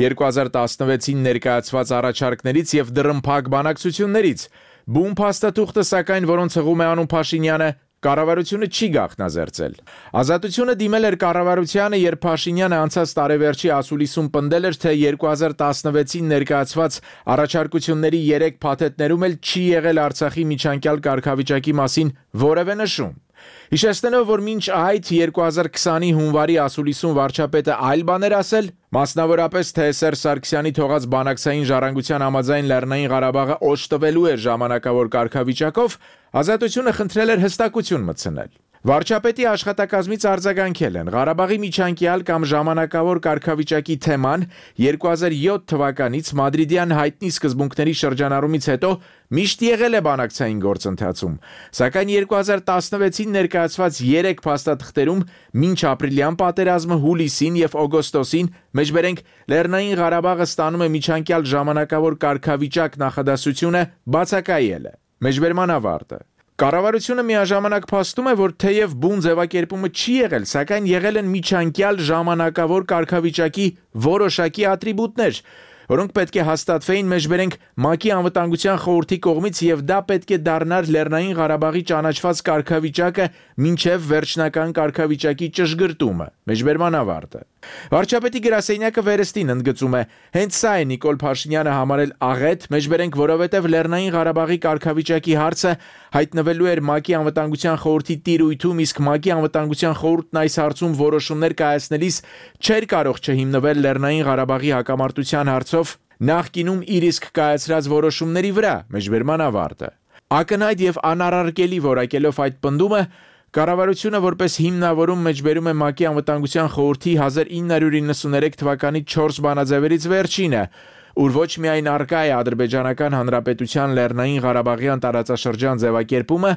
2016-ին ներկայացված առաջարկներից եւ դռնփակ բանակցություններից։ Բուն փաստաթուղթը, սակայն, որոնց հղում է անուն Փաշինյանը, կառավարությունը չի գաղտնազերծել։ Ազատությունը դիմել էր կառավարությանը, երբ Փաշինյանը անցած տարեվերջի ասուլիսում պնդել էր, թե 2016-ին ներկայացված առաջարկությունների 3 փաթեթներում էլ չի եղել Արցախի միջանկյալ կարգավիճակի մասին որևէ նշում։ Հիշեցնելով, որ մինչ այդ 2020-ի հունվարի ասուլիսում վարչապետը այլ բաներ ասել, մասնավորապես թե Սերժ Սարգսյանի թողած բանակցային ժառանգության համաձայն Լեռնային Ղարաբաղը օժտվելու էր ժամանակավոր կարգավիճակով, Ազատությունը խնդրել էր հստակություն մտցնել։ Վարչապետի աշխատակազմից արձագանքել են Ղարաբաղի միջանկյալ կամ ժամանակավոր կարգավիճակի թեման 2007 թվականից Մադրիդյան հայտնի սկզբունքների շրջանառումից հետո միշտ եղել է բանակցային գործընթացում, սակայն 2016-ին ներկայացված 3 փաստաթղթերում մինչ ապրիլյան պատերազմը հուլիսին եւ օգոստոսին մեջբերենք Լեռնային Ղարաբաղը ստանում է միջանկյալ ժամանակավոր կարգավիճակ նախադասությունը բացակայել է։ Մեջբերման ավարտը։ Կառավարությունը միաժամանակ փաստում է, որ թեև բուն ձևակերպումը չի եղել, սակայն եղել են միջանկյալ ժամանակավոր կարգավիճակի որոշակի ատրիբուտներ, որոնք պետք է հաստատվեին մեջբերենք ՄԱԿ-ի անվտանգության խորհրդի կողմից եւ դա պետք է դառնար Լեռնային Ղարաբաղի ճանաչված կարգավիճակը մինչեւ վերջնական կարգավիճակի ճշգրտումը։ Մեջբերման ավարտը։ Վարչապետի գրասենյակը վերստին ընդգծում է, հենց սա է Նիկոլ Փաշինյանը համարել աղետ, մեջբերենք, որովհետև Լեռնային Ղարաբաղի կարգավիճակի հարցը հայտնվելու էր ՄԱԿ-ի անվտանգության խորհրդի տիրույթում, իսկ ՄԱԿ-ի անվտանգության խորհուրդն այս հարցում որոշումներ կայացնելիս չէր կարող չհիմնվել Լեռնային Ղարաբաղի հակամարտության հարցով նախկինում իր իսկ կայացրած որոշումների վրա, մեջբերման ավարտը։ Ակնհայտ եւ անառարկելի որակելով այդ պնդումը Կառավարությունը որպես հիմնավորում մեջբերում է ՄԱԿ-ի անվտանգության խորհրդի 1993 թվականի 4 բանաձևերից վերջինը, ուր ոչ միայն առկա է Ադրբեջանական Հանրապետության Լեռնային Ղարաբաղյան տարածաշրջան ձևակերպումը,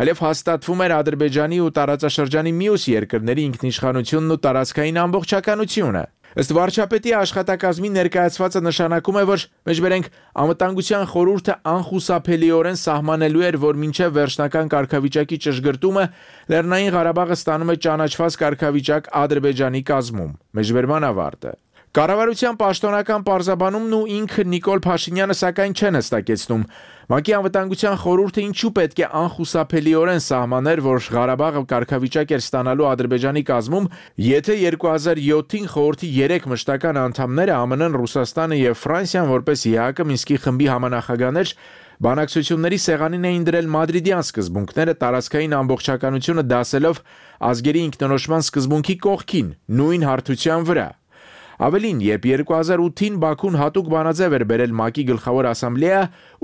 այլև հաստատվում էր Ադրբեջանի ու տարածաշրջանի մյուս երկրների ինքնիշխանությունն ու տարածքային ամբողջականությունը։ Ըստ վարչապետի աշխատակազմի ներկայացվածը նշանակում է, որ մեջբերենք անվտանգության խորհուրդը անխուսափելիորեն սահմանելու էր, որ մինչև վերջնական կարգավիճակի ճշգրտումը Լեռնային Ղարաբաղը ստանում է ճանաչված կարգավիճակ Ադրբեջանի կազմում։ Մեջբերման ավարտը։ Կառավարության պաշտոնական պարզաբանումն ու ինքը Նիկոլ Փաշինյանը սակայն չեն հստակեցնում։ ՄԱԿ-ի անվտանգության խորհուրդը ինչու պետք է անխուսափելիորեն սահմաներ, որ Ղարաբաղը կարգավիճակ էր ստանալու Ադրբեջանի կազմում, եթե 2007-ին խորհրդի 3 մշտական անդամները ԱՄՆ-ն, Ռուսաստանը եւ Ֆրանսիան որպես ԵԱՀԿ Մինսկի խմբի համանախագահներ բանակցությունների սեղանին էին դրել մադրիդյան սկզբունքները տարածքային ամբողջականությունը դասելով ազգերի ինքնորոշման սկզբունքի կողքին, նույն հարթության վրա։ Ավելին, երբ 2008-ին Բաքուն հատուկ բանաձև էր բերել ՄԱԿ-ի գլխավոր ասամբլեա,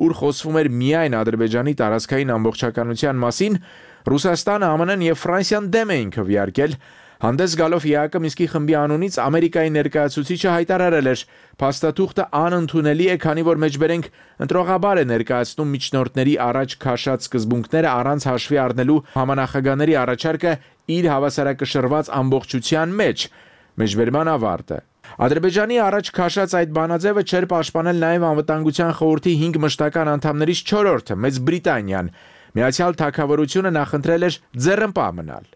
ուր խոսվում էր միայն Ադրբեջանի տարածքային ամբողջականության մասին, Ռուսաստանը, ԱՄՆ-ն եւ Ֆրանսիան դեմ էին քվեարկել, հանդես գալով ԵԱՀԿ Մինսկի խմբի անունից Ամերիկայի ներկայացուցիչը հայտարարել էր. «Փաստաթուղթը անընդունելի է, քանի որ մեջբերենք ընտրողաբար է ներկայացնում միջնորդների առաջ քաշած սկզբունքները առանց հաշվի առնելու համանախագահների առաջարկը իր հավասարակշռված ամբողջության մեջ»։ Մեջբերման ավարտը։ Ադրբեջանի առաջ քաշած այդ բանաձևը չէր պաշտպանել նաև անվտանգության խորհրդի 5 մշտական անդամներից 4-րդը՝ Մեծ Բրիտանիան։ Միացյալ Թագավորությունը նախընտրել էր ձեռնպահ մնալ։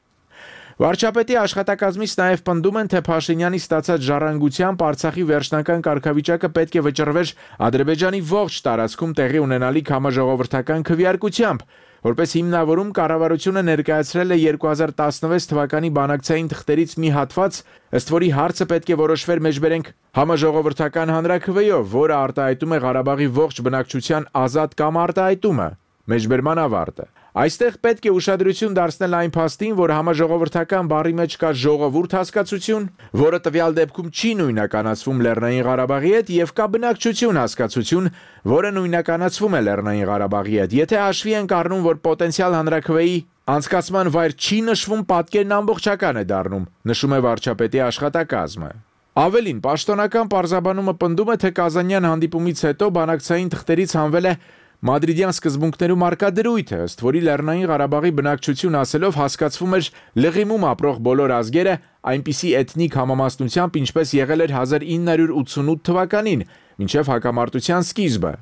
Վարչապետի աշխատակազմից նաև պնդում են, թե Փաշինյանի ստացած ժառանգությամբ Արցախի վերջնական կարգավիճակը պետք է վճռվեր Ադրբեջանի ողջ տարածքում տեղի ունենալիք համաժողովրդական քվեարկությամբ, որպես հիմնավորում կառավարությունը ներկայացրել է 2016 թվականի բանակցային թղթերից մի հատված, ըստ որի հարցը պետք է որոշվեր մեջբերենք համաժողովրդական հանրաքվեով, որը արտահայտում է Ղարաբաղի ողջ բնակչության ազատ կամ արտահայտումը։ Մեջբերման ավարտը։ Այստեղ պետք է ուշադրություն դարձնել այն փաստին, որ համաժողովրդական բառի մեջ կա ժողովուրդ հասկացություն, որը տվյալ դեպքում չի նույնականացվում Լեռնային Ղարաբաղի հետ, եւ կա բնակչություն հասկացություն, որը նույնականացվում է Լեռնային Ղարաբաղի հետ։ Եթե հաշվի ենք առնում, որ պոտենցիալ հանրաքվեի անցկացման վայր չի նշվում, պատկերն ամբողջական է դառնում, նշում է վարչապետի աշխատակազմը։ Ավելին, պաշտոնական պարզաբանումը պնդում է, թե Կազանյան հանդիպումից հետո բանակցային թղթերից հանվել է Մադրիդյան սկզբունքներում արկա դրույթը, ըստ որի Լեռնային Ղարաբաղի բնակչություն ասելով հասկացվում էր լղիմում ապրող բոլոր ազգերը այնպիսի էթնիկ համամասնությամբ, ինչպես եղել էր 1988 թվականին, մինչև հակամարտության սկիզբը։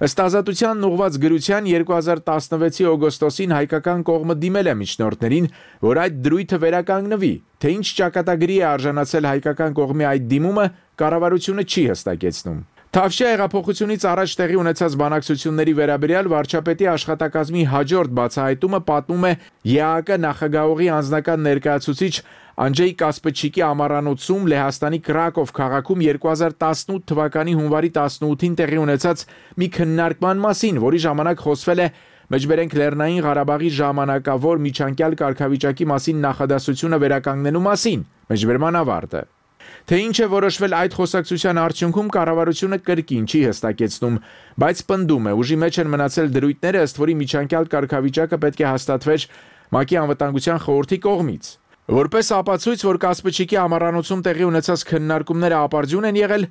Ըստ Ազատությանն ուղված գրության 2016-ի օգոստոսին հայկական կողմը դիմել է միջնորդներին, որ այդ դրույթը վերականգնվի, թե ինչ ճակատագրի է արժանացել հայկական կողմի այդ դիմումը, կառավարությունը չի հստակեցնում։ Թավշյա հեղափոխությունից առաջ տեղի ունեցած բանակցությունների վերաբերյալ վարչապետի աշխատակազմի հաջորդ բացահայտումը պատմում է ԵԱՀԿ նախագահողի անձնական ներկայացուցիչ Անջեյ Կասպեչիկի ամառանոցում Լեհաստանի Կրակով քաղաքում 2018 թվականի հունվարի 18-ին տեղի ունեցած մի քննարկման մասին, որի ժամանակ խոսվել է մեջբերենք Լեռնային Ղարաբաղի ժամանակավոր միջանկյալ կարգավիճակի մասին նախադասությունը վերականգնելու մասին։ Մեջբերման ավարտը։ Թե ինչ է որոշվել այդ խոսակցության արդյունքում կառավարությունը կրկին չի հստակեցնում, բայց պնդում է, ուժի մեջ են մնացել դրույթները, ըստ որի միջանկյալ կարգավիճակը պետք է հաստատվեր ՄԱԿ-ի անվտանգության խորհրդի կողմից։ Որպես ապացույց, որ Կասպեչիկի ամառանոցում տեղի ունեցած քննարկումները ապարդյուն են եղել,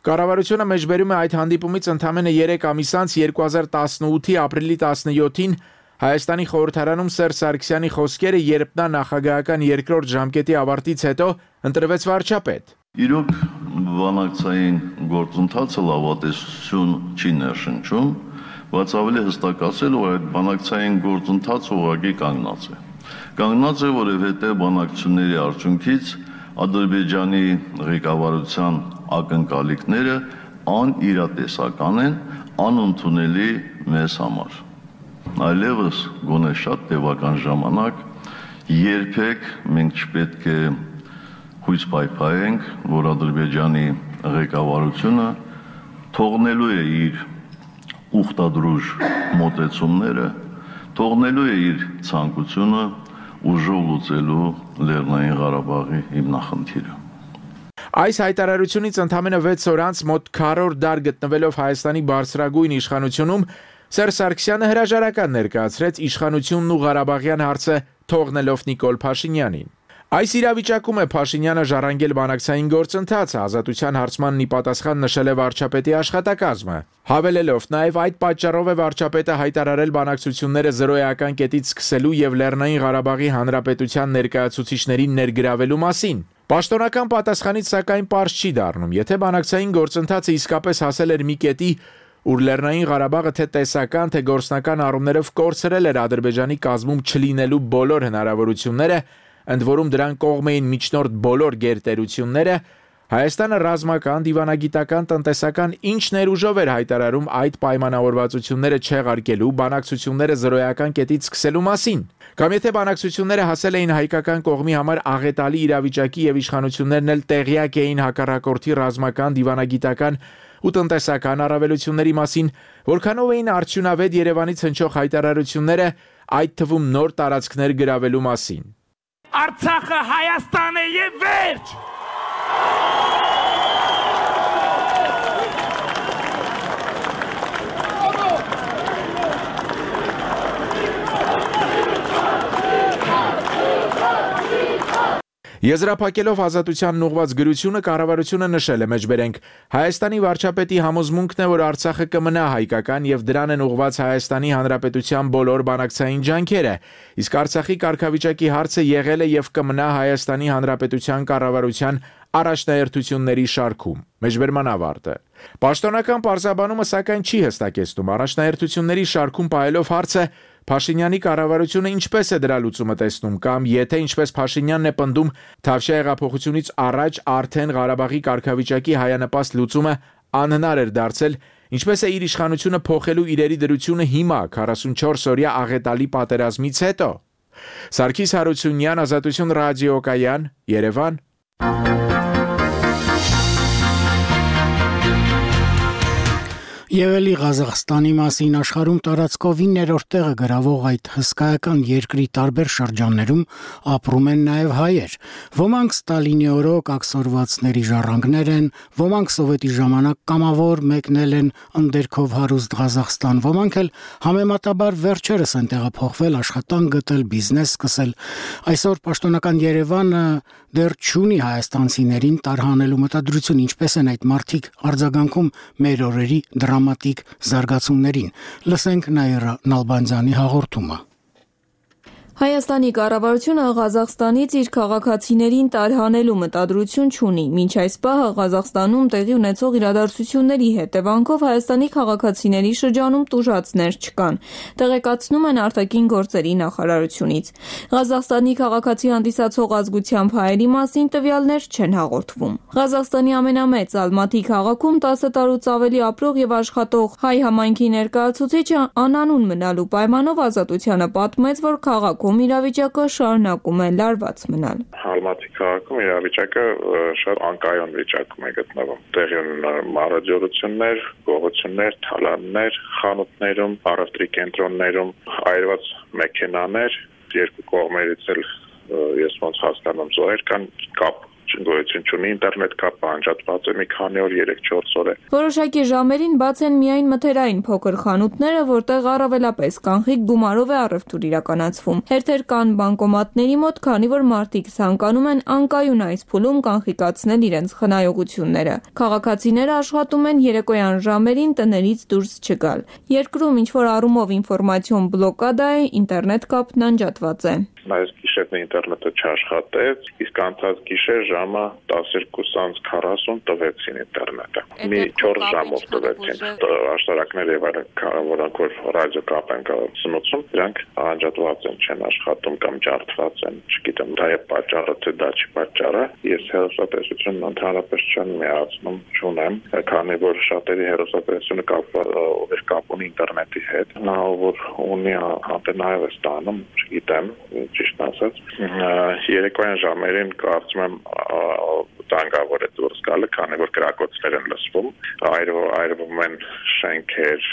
կառավարությունը մեջբերում է այդ հանդիպումից ընդամենը 3 ամիս անց 2018-ի ապրիլի 17-ին Հայաստանի խորհրդարանում Սերժ Սարգսյանի խոսքերը, երբ նա նախագահական երկրորդ ժամկետի ավարտից հետո ընտրվեց վարչապետ։ Իրոք բանակցային գործընթացը լավատեսություն չի ներշնչում, բայց ավելի հստակ ասել, որ այդ բանակցային գործընթացը ուղղակի կանգնած է։ Կանգնած է, որովհետև բանակցությունների արդյունքից Ադրբեջանի ղեկավարության ակնկալիքները անիրատեսական են, անընդունելի մեզ համար։ Այլևս գոնե շատ տևական ժամանակ երբեք մենք չպետք է հույս պայփայենք, որ Ադրբեջանի ղեկավարությունը թողնելու է իր ուխտադրուժ մոտեցումները, թողնելու է իր ցանկությունը ուժով լուծելու Լեռնային Ղարաբաղի հիմնախնդիրը։ Այս հայտարարությունից ընդամենը 6 օր անց մոտ քառորդ դար գտնվելով Հայաստանի բարձրագույն իշխանությունում Սերժ Սարգսյանը հրաժարական ներկայացրեց իշխանությունն ու Ղարաբաղյան հարցը թողնելով Նիկոլ Փաշինյանին։ Այս իրավիճակում է Փաշինյանը ժառանգել բանակցային գործընթացը, ազատության հարցմանն ի պատասխան նշել է վարչապետի աշխատակազմը։ Հավելելով նաև այդ պատճառով է վարչապետը հայտարարել բանակցությունները զրոյական կետից սկսելու եւ Լեռնային Ղարաբաղի Հանրապետության ներկայացուցիչներին ներգրավելու մասին։ Պաշտոնական պատասխանից սակայն պարզ չի դառնում, եթե բանակցային գործընթացը իսկապես հասել էր մի կետի, ուր Լեռնային Ղարաբաղը թե տեսական, թե գործնական առումներով կորցրել էր Ադրբեջանի կազմում չլինելու բոլոր հնարավորությունները, ընդ որում դրան կողմ էին միջնորդ բոլոր գերտերությունները, Հայաստանը ռազմական, դիվանագիտական, տնտեսական ինչ ներուժով էր հայտարարում այդ պայմանավորվածությունները չեղարկելու, բանակցությունները զրոյական կետից սկսելու մասին։ Կամ եթե բանակցությունները հասել էին հայկական կողմի համար աղետալի իրավիճակի եւ իշխանություններն էլ տեղյակ էին հակառակորդի ռազմական, դիվանագիտական ու տնտեսական առավելությունների մասին, որքանով էին արդյունավետ Երևանից հնչող հայտարարությունները, այդ թվում նոր տարածքներ գրավելու մասին։ Արցախը Հայաստան է եւ վերջ։ Եզրափակելով ազատությանն ուղղված գրությունը կառավարությունը նշել է մեջբերենք Հայաստանի վարչապետի համոզմունքն է, որ Արցախը կմնա հայկական եւ դրան են ուղղված Հայաստանի Հանրապետության բոլոր բանակցային ջանքերը, իսկ Արցախի կարգավիճակի հարցը եղել է եւ կմնա Հայաստանի Հանրապետության կառավարության առաջնահերթությունների շարքում։ Մեջբերման ավարտը։ Պաշտոնական պարզաբանումը սակայն չի հստակեցնում առաջնահերթությունների շարքում պահելով հարցը Փաշինյանի կառավարությունը ինչպես է դրա լուծումը տեսնում կամ եթե ինչպես Փաշինյանն է պնդում Թավշյա հեղափոխությունից առաջ արդեն Ղարաբաղի կարգավիճակի հայանպաստ լուծումը անհնար էր դարձել, ինչպես է իր իշխանությունը փոխելու իրերի դրությունը հիմա 44-օրյա աղետալի պատերազմից հետո։ Սարգիս Հարությունյան, Ազատություն ռադիոկայան, Երևան։ Եվելի Ղազախստանի մասին աշխարհում տարածքով 9-րդ տեղը գրավող այդ հսկայական երկրի տարբեր շրջաններում ապրում են նաև հայեր։ Ոմանք Ստալինի օրոք ակսորվածների ժառանգներ են, ոմանք սովետի ժամանակ կամավոր մեկնել են ընդերքով հարուստ Ղազախստան, ոմանք էլ համեմատաբար վերջերս են տեղափոխվել, աշխատանք գտել, բիզնես սկսել։ Այսօր պաշտոնական Երևանը դեռ չունի հայաստանցիներին տարհանելու մտադրություն, ինչպես են այդ մարդիկ արձագանքում մեր օրերի դրամատիկ զարգացումներին։ Լսենք Նաիրա Նալբանդյանի հաղորդումը։ Հայաստանի կառավարությունը Ղազախստանից իր քաղաքացիներին տարհանելու մտադրություն չունի։ Մինչ այս պահը Ղազախստանում տեղի ունեցող իրադարձությունների հետևանքով Հայաստանի քաղաքացիների շրջանում տուժածներ չկան, տեղեկացնում են արտաքին գործերի նախարարությունից։ Ղազախստանի քաղաքացի հանդիսացող ազգությամբ հայերի մասին տվյալներ չեն հաղորդվում։ Ղազախստանի ամենամեծ Ալմաթի քաղաքում 10 տարուց ավելի ապրող եւ աշխատող հայ համայնքի ներկայացուցիչը անանուն մնալու պայմանով Ազատությանը պատմեց, որ քաղաքում իրավիճակը շարունակում է լարված մնալ։ Ալմաթի քաղաքում իրավիճակը շատ անկայուն վիճակում է գտնվում։ Տեղի ունեն մարաձորություններ, գողություններ, թալաններ, խանութներում, առևտրի կենտրոններում, այրված մեքենաներ, երկու կողմերից էլ ես ոնց հասկանում զոհեր կան, կապ գոյություն չունի, ինտերնետ կապը անջատված է մի քանի օր, 3-4 օր է։ Որոշակի ժամերին բաց են միայն մթերային փոքր խանութները, որտեղ առավելապես կանխիկ գումարով է առևտուր իրականացվում։ Հերթեր կան բանկոմատների մոտ, քանի որ մարդիկ ցանկանում են անկայուն այս փուլում կանխիկացնել իրենց խնայողությունները։ Քաղաքացիները աշխատում են երեկոյան ժամերին տներից դուրս չգալ։ Երկրում ինչ-որ առումով ինֆորմացիոն բլոկադա է, ինտերնետ կապն անջատված է։ Այս գիշերն ինտերնետը չաշխատեց, իսկ անցած գիշեր ժամը 12:40 տվեցին ինտերնետը։ Մի 4 ժամով տվեցին։ Աշտարակները եւ այլն, որոնք որ ռադիո կապ են սնուցում, դրանք անջատված են, չեն աշխատում կամ ջարդված են, չգիտեմ, դա է պատճառը, թե դա չի պատճառը։ Ես հեռուստատեսությունն ընդհանրապես չեմ միացնում, չունեմ, քանի որ շատերի հեռուստատեսությունը կապ ունի ինտերնետի հետ, նա որ ունի անտենայով է ստանում, չգիտեմ, ճիշտ ասած, երեկոյան ժամերին կարծում եմ տանգավոր է դուրս գալը, քանի որ կրակոցներ են լսվում, այրվում են շենքեր,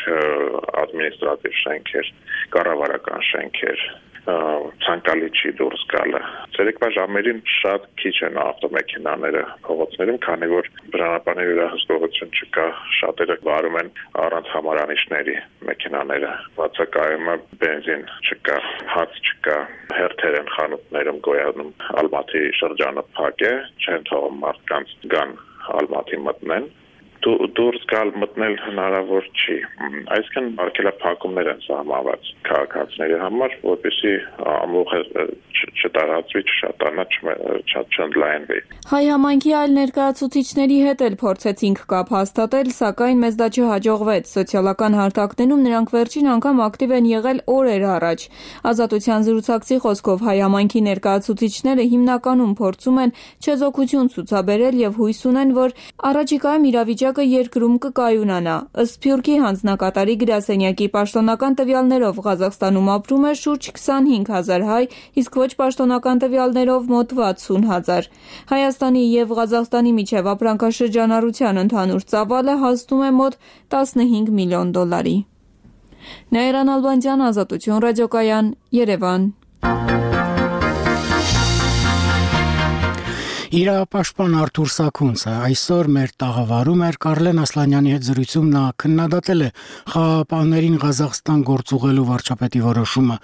ադմինիստրատիվ շենքեր, կառավարական շենքեր, ցանկալի չի դուրս գալը։ Ցերեկվա ժամերին շատ քիչ են ավտոմեքենաները փողոցներում, քանի որ բնականաբար վերահսկողություն չկա, շատերը վարում են առանց համարանիշների մեքենաները։ Բացակայում է բենզին չկա, հաց չկա, հերթեր են խանութներում գոյանում, Ալմատի շրջանը փակ է, չեն թողում մարդկանց գան Ալմատի մտնեն։ Դուրս գալ մտնել հնարավոր չի։ Այսինքն արգելափակումներ են սահմանված քաղաքացիների համար, որպեսզի ամբողջ չտարածվի, չշատանա, չընդլայնվի։ Հայ համայնքի այլ ներկայացուցիչների հետ էլ փորձեցինք կապ հաստատել, սակայն մեզ դա չհաջողվեց։ Սոցիալական հարթակներում նրանք վերջին անգամ ակտիվ են եղել օրեր առաջ։ Ազատության զրուցակցի խոսքով հայ համայնքի ներկայացուցիչները հիմնականում փորձում են չեզոքություն ցուցաբերել եւ հույս ունեն, որ առաջիկայում իրավիճակը երկրում կկայունանա։ Ըստ Սփյուռքի հանձնակատարի գրասենյակի պաշտոնական տվյալներով Ղազախստանում ապրում է շուրջ 25,000 հայ, իսկ ոչ պաշտոնական տվյալներով մոտ 60,000։ Հայաստանի եւ Ղազախստանի միջև ապրանքաշրջանառության ընդհանուր ծավալը հասնում է մոտ $15 միլիոն։ Նաիրան Ալբանդյան, Ազատություն ռադիոկայան, Երևան։ Իրապաշտպան Արթուր Սաքունցը այսօր մեր տաղավարում էր Կարլեն Ասլանյանի հետ զրույցում նա քննադատել է խաղաղապահներին Ղազախստան գործուղելու վարչապետի որոշումը,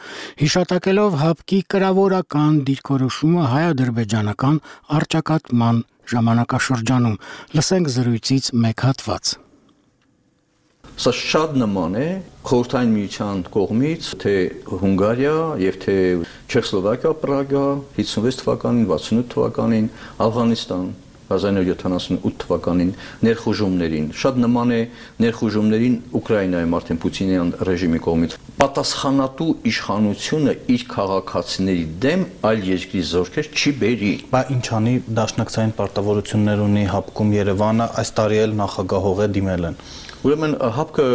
հիշատակելով ՀԱՊԿ-ի կրավորական դիրքորոշումը հայ-ադրբեջանական առճակատման ժամանակաշրջանում։ Լսենք զրույցից մեկ հատված։ Սա շատ նման է Խորհրդային Միության կողմից թե Հունգարիա եւ թե Չեխոսլովակիա, Պրագա 56 թվականին, 68 թվականին, Աֆղանստան 1978 թվականին ներխուժումներին, շատ նման է ներխուժումներին Ուկրաինայում արդեն Պուտինյան ռեժիմի կողմից։ Պատասխանատու իշխանությունը իր քաղաքացիների դեմ այլ երկրի զորքեր չի բերի։ Բա ինչ անի, դաշնակցային պարտավորություններ ունի ՀԱՊԿ-ում Երևանը, այս տարի էլ նախագահող է դիմել են։ Ուրեմն ՀԱՊԿ-ը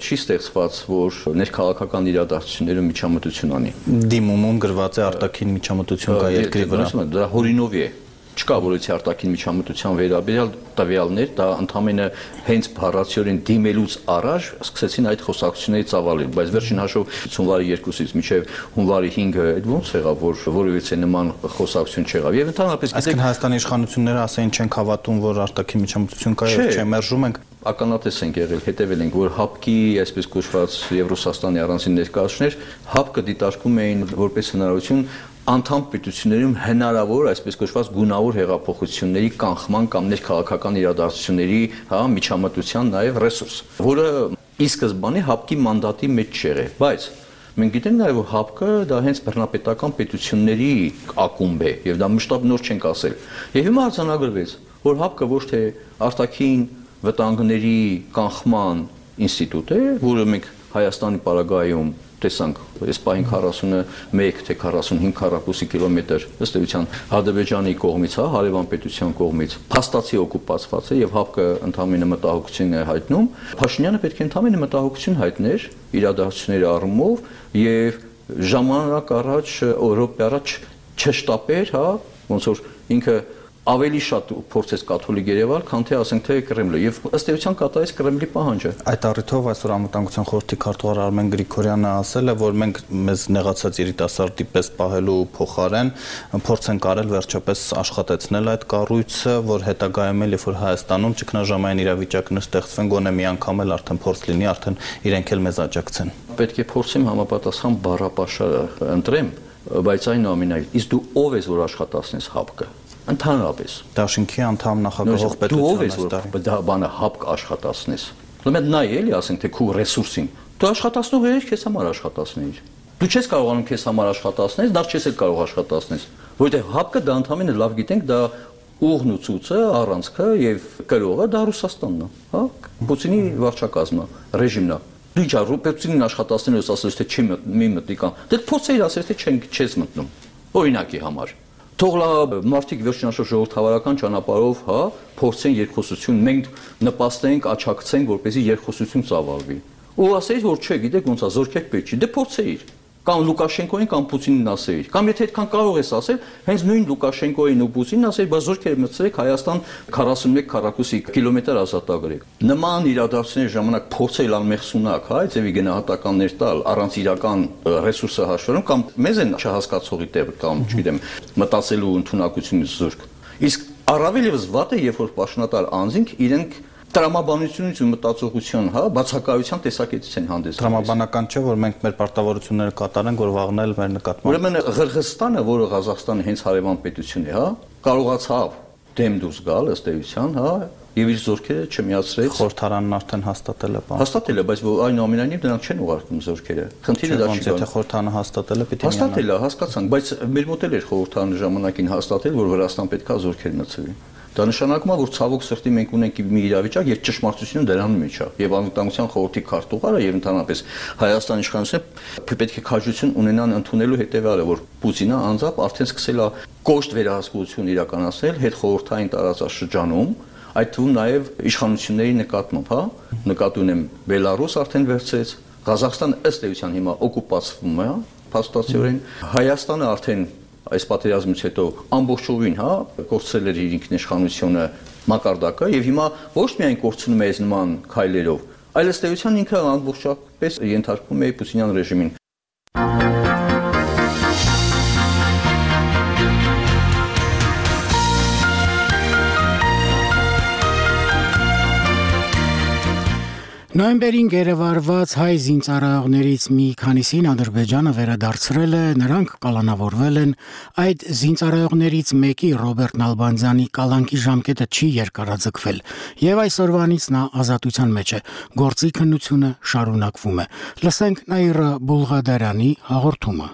չի ստեղծված, որ ներքաղաքական իրադարձություններում միջամտություն անի։ Դիմումում գրված է արտաքին միջամտություն կա երկրի վրա։ Դա հորինովի է։ Չկա որոցի արտաքին միջամտության վերաբերյալ տվյալներ, դա ընդհանրապես հենց բառացիորեն դիմելուց առաջ սկսեցին այդ խոսակցությունների ծավալել, բայց վերջին հաշվով հունվարի 2-ից մինչև հունվարի 5-ը այդ ոնց եղավ, որ որևիցե նման խոսակցություն չեղավ։ Եվ ընդհանրապես այսինքն Հայաստանի իշխանությունները ասեն չենք հավատում, որ արտաքին միջամտություն կա եւ չեմերժում ենք։ Ականատես ենք եղել, հետևել ենք, որ ՀԱՊԿ-ի, այսպես կոչված Եվրոսաստանի առանձին ներկայացուցիչներ ՀԱՊԿ-ը դիտարկում էին որպես հնարավորություն անդամ պետություններում հնարավոր, այսպես կոչված գունավոր հեղափոխությունների կանխման կամ ներքաղաքական իրադարձությունների, միջամտության նաև ռեսուրս, որը ի սկզբանե ՀԱՊԿ-ի մանդատի մեջ չեղավ, բայց մենք գիտենք նաև, որ ՀԱՊԿ-ը դա հենց բռնապետական պետությունների ակումբ է, եւ դա մշտապես նոր չենք ասել։ Եվ հիմա արձանագրվեց, որ ՀԱՊԿ-ը ոչ թե արտաքին վտանգների կանխման ինստիտուտ է, որը մենք Հայաստանի պարագայում տեսանք, այս պահին 41 թե 45 քառակուսի կիլոմետր ըստ էության Ադրբեջանի կողմից, հարևան պետության կողմից փաստացի օկուպացված է եւ ՀԱՊԿ-ը ընդհանրապես մտահոգություն է հայտնում։ Փաշինյանը պետք է ընդհանրապես մտահոգություն հայտներ իրադարձությունների առումով եւ ժամանակ առաջ, Եվրոպա առաջ չշտապեր, ոնց որ ինքը ավելի շատ փորձեց կաթոլիկ Երևալ, քան թե ասենք թե Կրեմլը եւ ըստ էության կատարեց Կրեմլի պահանջը։ Այդ առիթով այսօր Անվտանգության խորհրդի քարտուղար Արմեն Գրիգորյանը ասել է, որ մենք մեզ նեղացած երիտասարդի պես պահելու փոխարեն փորձ ենք արել վերջապես աշխատեցնել այդ կառույցը, որ հետագայում էլ երբ որ Հայաստանում ճգնաժամային իրավիճակներ ստեղծվեն, գոնե մի անգամ էլ արդեն փորձ լինի, արդեն իրենք էլ մեզ աջակցեն։ Պետք է փորձեմ համապատասխան բառապաշարը ընտրեմ, բայց այնուամենայնիվ իսկ դու ով ես, որ աշխատացնես ՀԱՊԿ-ը։ Ընդհանրապես Դաշինքի անդամ նախագահող պետության դա բանը ՀԱՊԿ աշխատացնես։ Ուրեմն նայ էլի ասենք թե քու ռեսուրսին։ Դու աշխատացնող ես քեզ համար աշխատացնեիր։ Դու չես կարողանում քեզ համար աշխատացնել, դա չես էլ կարող աշխատացնես, որովհետև ՀԱՊԿ-ը դա ընդհանրապես լավ գիտենք, դա ուղն ու ցույցը, առանցքը եւ կրողը դա Ռուսաստանն է, Պուտինի վարչակազմն է, ռեժիմն է։ Դու ինչ Պուտինին աշխատացնելու ես ասես թե չի մի մտի կամ դե փորձեիր ասես թե չես մտնում։ Օրինակի համար թող լավ մարդիկ վերջնաշրջան ժողովրդավարական ճանապարհով, փորձեն երկխոսություն, մենք նպաստենք, աչակցենք, որպեսզի երկխոսություն ծավալվի։ Ու ասեիր, որ չէ, գիտեք ոնց է, զորքեր պետք չի, դե փորձեիր։ կամ Լուկաշենկոին կամ Պուտինին ասեիր, կամ եթե այդքան կարող ես ասել, հենց նույն Լուկաշենկոին ու Պուտինին ասեիր, բայց զորքեր մտցրեք Հայաստան 41 քառակուսի կիլոմետր ազատագրեք։ Նման իրադարձությունների ժամանակ փորձել անմեղսունակ, հա, ձևի գնահատականներ տալ առանց իրական ռեսուրսը հաշվառում կամ մեզ են չհասկացողի տեղ կամ, չգիտեմ, մտածելու ընդունակությունից զուրկ։ Իսկ առավել եւս վատ է, երբ որ պաշտոնատար անձինք իրենք տրամաբանությունից ու մտածողության, հա, բացակայության տեսակետից են հանդես գալիս։ Տրամաբանական չէ, որ մենք մեր պարտավորությունները կատարենք, որ վաղնել մեր նկատմամբ։ Ուրեմն Ղրղըզստանը, որը Ղազախստանի հենց հարևան պետություն է, հա, կարողացավ դեմ դուրս գալ ըստ էության, հա, եւ իր զորքերը չմիացրեց։ Խորհրդարանն արդեն հաստատել է բան։ Հաստատել է, բայց այնուամենայնիվ դրանք չեն ուղարկում զորքերը։ Խնդիրը դա չի։ Եթե խորհրդարանը հաստատել է, պիտի հաստատել է, հասկացանք, բայց մեր մոտ էր խորհրդարանը ժամանակին հաստատել, որ Վրաստան պետքա զորքեր մտցվի։ Դա նշանակում է, որ ցավոք սրտի մենք ունենք մի իրավիճակ, երբ ճշմարտությունը դրանում մեջ է, եւ անվտանգության խորհրդի քարտուղարը եւ ընդհանրապես Հայաստանի իշխանությունը պետք է քաջություն ունենան ընդունելու հետեւյալը, որ Պուտինը անձամբ արդեն սկսել է կոշտ վերահսկողություն իրականացնել հետխորհրդային տարածաշրջանում, այդ թվում նաեւ իշխանությունների նկատմամբ, հա, նկատի ունեմ Բելարուս արդեն վերցրեց, Ղազախստանը ըստ էության հիմա օկուպացվում է, փաստացիորեն, Հայաստանը արդեն այս պատերազմից հետո ամբողջովին, հա, կորցրել էր իր ինքնիշխանությունը մակարդակը եւ հիմա ոչ միայն կորցնում է այս նման քայլերով, այլ ըստ էության ինքը ամբողջապես ենթարկվում է Պուտինյան ռեժիմին։ Նոյեմբերին գերեվարված հայ զինծառայողներից մի քանիսին Ադրբեջանը վերադարձրել է, նրանք կալանավորվել են, այդ զինծառայողներից մեկի Ռոբերտ Նալբանդյանի կալանքի ժամկետը չի երկարաձգվել, եւ այսօրվանից նա ազատության մեջ է, գործի քննությունը շարունակվում է։ Լսենք Նաիրա Բուլղադարյանի հաղորդումը։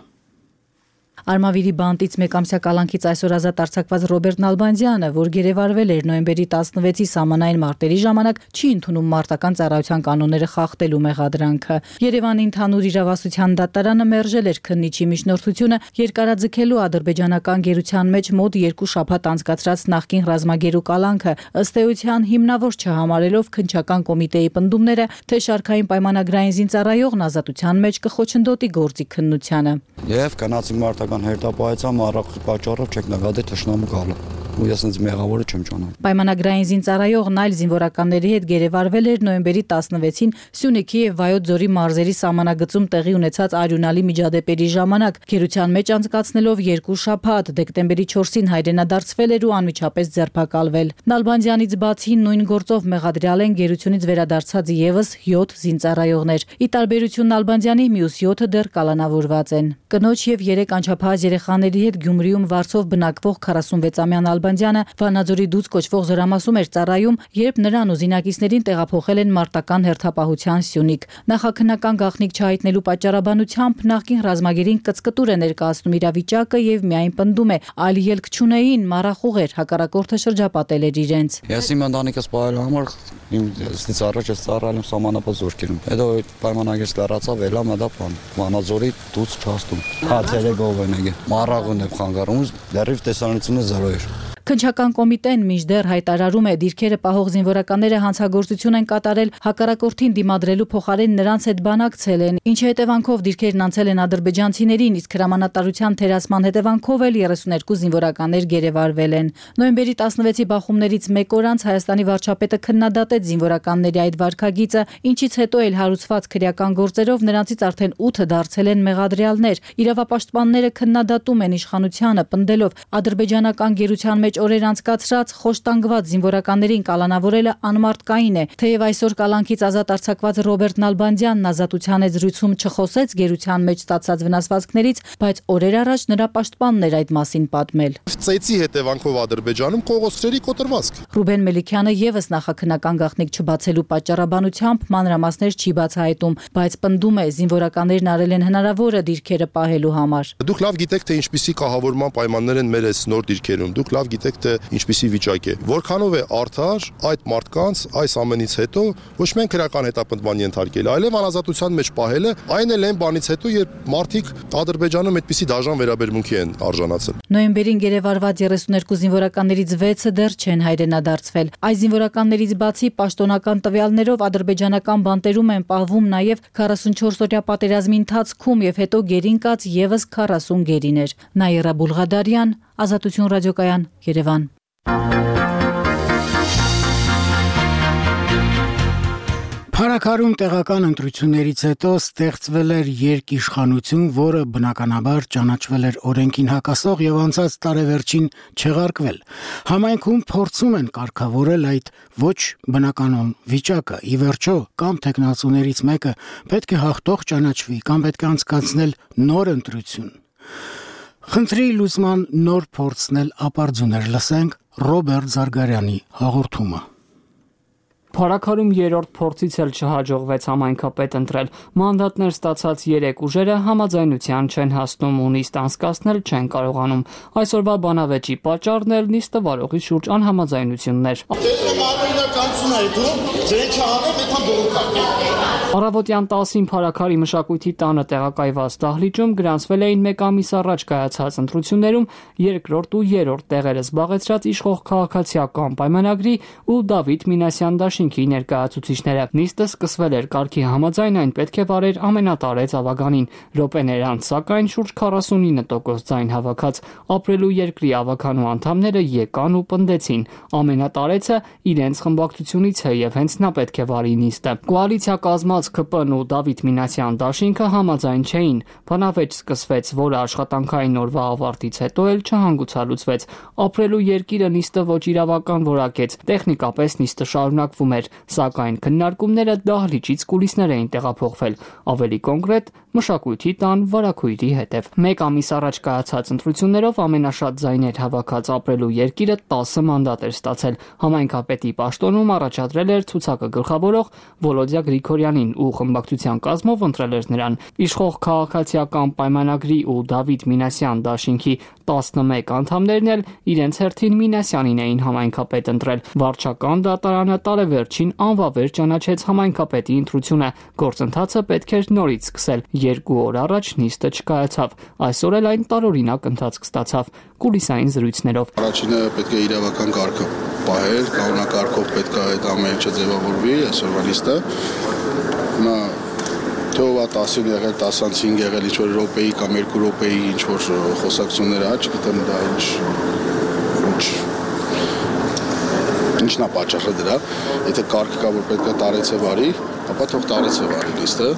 Արմավիրի բանտից մեկամսյա կալանքից այսօր ազատ արձակված Ռոբերտ Նալբանդյանը, որ գերեվարվել էր նոյեմբերի 16-ի սահմանային մարտերի ժամանակ, չի ընդունում մարտական ծառայության կանոնները խախտելու մեղադրանքը։ Երևանի ընդհանուր իրավասության դատարանը մերժել էր քննիչի միջնորդությունը երկարաձգելու ադրբեջանական գերության մեջ մոտ 2 շաբաթ անցկացրած նախկին ռազմագերու կալանքը, ըստ էության հիմնավոր չհամարելով քննչական կոմիտեի պնդումները, թե շարքային պայմանագրային զինծառայողն ազատության մեջ կխոչընդոտի գործի քննությանը։ Եվ կանացի մարտական հերթապահեցամ առավել պատճառով չեք նկատի թշնամու գալը։ Ու ես ինձ մեղավորը չեմ ճանաչում։ Պայմանագրային զինծառայողն այլ զինվորականների հետ գերեվարվել էր նոյեմբերի 16-ին Սյունիքի եւ Վայոց ձորի մարզերի սահմանագծում տեղի ունեցած արյունալի միջադեպերի ժամանակ, գերության մեջ անցկացնելով 2 շաբաթ, դեկտեմբերի 4-ին հայրենադարձվել էր ու անմիջապես ձերբակալվել։ Նալբանդյանից բացի նույն գործով մեղադրյալ են գերությունից վերադարձած եւս 7 զինծառայողներ։ Ի տարբերություն Նալբանդյանի մյուս 7-ը դեռ կալանավորված են։ Կնոջ եւ 3 անչափահաս երեխաների հետ Գյումրիում Վարսով բնակվող 46-ամյա Նալբանդյանը Վանաձորի դուց կոչվող զորամասում էր ծառայում, երբ նրան ու զինակիցներին տեղափոխել են մարտական հերթապահության Սյունիք։ Նախաքննական գաղտնիք չհայտնելու պատճառաբանությամբ նախկին ռազմագերին կծկտուր է ներկայացնում իրավիճակը եւ միայն պնդում է, այլ ելք չունեին, մառախուղ էր, հակառակորդը շրջապատել էր իրենց։ Ես իմ ընտանիքս պահելու համար ինձ առաջ ես ծառայել եմ սահմանապահ զորքերում։ Հետո պայմանագիր լրացավ, ելա մտա բան։ Վանաձորի դուց չհաստում։ Հացերը գովենեգե։ Մառաղուն է խանգարում, լրիվ տեսանությունը 0 էր։ Քննչական կոմիտեն մինչդեռ հայտարարում է, դիրքերը պահող զինվորականները հանցագործություն են կատարել, հակառակորդին դիմադրելու փոխարեն նրանց հետ բանակցել են, ինչի հետևանքով դիրքերն անցել են ադրբեջանցիներին, իսկ հրամանատարության թերացման հետևանքով էլ 32 զինվորականներ գերեվարվել են։ Նոյեմբերի 16-ի բախումներից մեկ օր անց Հայաստանի վարչապետը քննադատեց զինվորականների այդ վարքագիծը, ինչից հետո էլ հարուցված քրեական գործերով նրանցից արդեն 8 դարձել են մեղադրյալներ։ Իրավապաշտպանները քննադատում են իշխանությանը, պնդելով ադրբեջանական գերության մեջ օրեր անցկացրած խոշտանգված զինվորականներին կալանավորելը անմարտկային է, թեև այսօր կալանքից ազատ արձակված Ռոբերտ Նալբանդյանն ազատության հետ զրույցում չխոսեց գերության մեջ ստացած վնասվածքներից, բայց օրեր առաջ նրա պաշտպանն էր այդ մասին պատմել։ Ծեծի հետևանքով Ադրբեջանում կողոսրերի կոտրվածք։ Ռուբեն Մելիքյանը եւս նախաքննական գաղտնիք չբացելու պատճառաբանությամբ մանրամասներ չի բացահայտում, բայց պնդում է զինվորականներն արել են հնարավորը դիրքերը պահելու համար։ Դուք լավ գիտեք, թե ինչպիսի կահավորման պայմաններ են մեր այս նոր դիրքերում։ Դուք լավ գիտեք թե ինչպիսի վիճակ է։ Որքանով է արդար այդ մարդկանց այս ամենից հետո ոչ միայն քրական հետապնդման ենթարկել, այլև անազատության մեջ պահելը, այն էլ այն բանից հետո, երբ մարդիկ Ադրբեջանում այդպիսի դաժան վերաբերմունքի են արժանացել։ Նոյեմբերին գերեվարված 32 զինվորականներից 6-ը դեռ չեն հայրենադարձվել։ Այս զինվորականներից բացի պաշտոնական տվյալներով ադրբեջանական բանտերում են պահվում նաև 44-օրյա պատերազմի ընթացքում եւ հետո գերին կաց եւս 40 գերիներ։ Նաիրա Բուլղադարյան, Ազատություն ռադիոկայան, Երևան։ Փարաքարում տեղական ընտրություններից հետո ստեղծվել էր երկիշխանություն, որը բնականաբար ճանաչվել էր օրենքին հակասող եւ անցած տարեվերջին չեղարկվել։ Համայնքում փորձում են կարգավորել այդ ոչ բնականon վիճակը։ Ի վերջո, կամ տեխնացուներից մեկը պետք է հաղթող ճանաչվի, կամ պետք է անցկացնել նոր ընտրություն։ Խնդրի լուծման նոր փորձնել ապարդյուներ, լսենք Ռոբերտ Զարգարյանի հաղորդումը։ Փարաքարում երրորդ փորձից էլ չհաջողվեց համայնքապետ ընտրել։ Մանդատներ ստացած 3 ուժերը համաձայնության չեն հասնում ու նիստ անցկացնել չեն կարողանում։ Այսօրվա բանավեճի պատճառն էլ նիստը վարողի շուրջ անհամաձայնություններ։ Առավոտյան 10-ին Փարաքարի մշակույթի տանը տեղակայված դահլիճում գրանցվել էին մեկ ամիս առաջ կայացած ընտրություններում երկրորդ ու երրորդ տեղերը զբաղեցրած իշխող քաղաքացիական պայմանագրի ու Դավիթ Մինասյան դաշինքի ներկայացուցիչները։ Նիստը սկսվել էր կարգի համաձայն, այն պետք է վարեր ամենատարեց ավագանին։ Րոպեներ անց, սակայն շուրջ 49% ձայն հավաքած ապրելու երկրի ավագանու անդամները եկան ու պնդեցին։ Ամենատարեցը իրենց խմբակցությունից է եւ հենց նա պետք է վարի նիստը։ Կոալիցիա կազմած ԿՊ-ն ու Դավիթ Մինասյան դաշինքը համաձայն չէին։ Բանավեճ սկսվեց, որը աշխատանքային օրվա ավարտից հետո էլ չհանգուցալուծվեց։ Ապրելու երկիրը նիստը ոչ իրավական որակեց։ Տեխնիկապես նիստը շարունակվում էր, սակայն քննարկումները դահլիճից կուլիսներ էին տեղափոխվել։ Ավելի կոնկրետ, մշակույթի տան վարակույրի հետև։ Մեկ ամիս առաջ կայացած ընտրություններով ամենաշատ ձայներ հավաքած ապրելու երկիրը 10 մանդատ էր ստացել։ Համայնքապետի պաշտոնում առաջադրել էր ցուցակը գլխավորող Վոլոդյա Գրիգորյանին ու խմբակցության կազմով ընտրել էր նրան։ Իշխող քաղաքացիական պայմանագրի ու Դավիթ Մինասյան դաշինքի 11 անդամներն էլ իրենց հերթին Մինասյանին էին համայնքապետ ընտրել։ Վարչական դատարանը տարեվերջին անվավեր ճանաչեց համայնքապետի ընտրությունը։ Գործընթացը պետք էր նորից սկսել։ 2 օր առաջ նիստը չկայացավ։ Այսօր էլ այն տարօրինակ ընթացք ստացավ կուլիսային զրույցներով։ Առաջինը պետք է իրավական կարգը պահել, կանոնակարգով պետք է այդ ամեն ինչը ձևավորվի, այսօրվա նիստը։ Նա թողա 10-ին եղել, 10-5 եղել ինչ-որ րոպեի կամ 2 րոպեի ինչ-որ խոսակցություններ աճ, գիտեմ դա ինչն է պատճառը դրա, եթե կարգ կա, որ պետք է տարեցը վարի, ապա թող տարեցը վարի նիստը,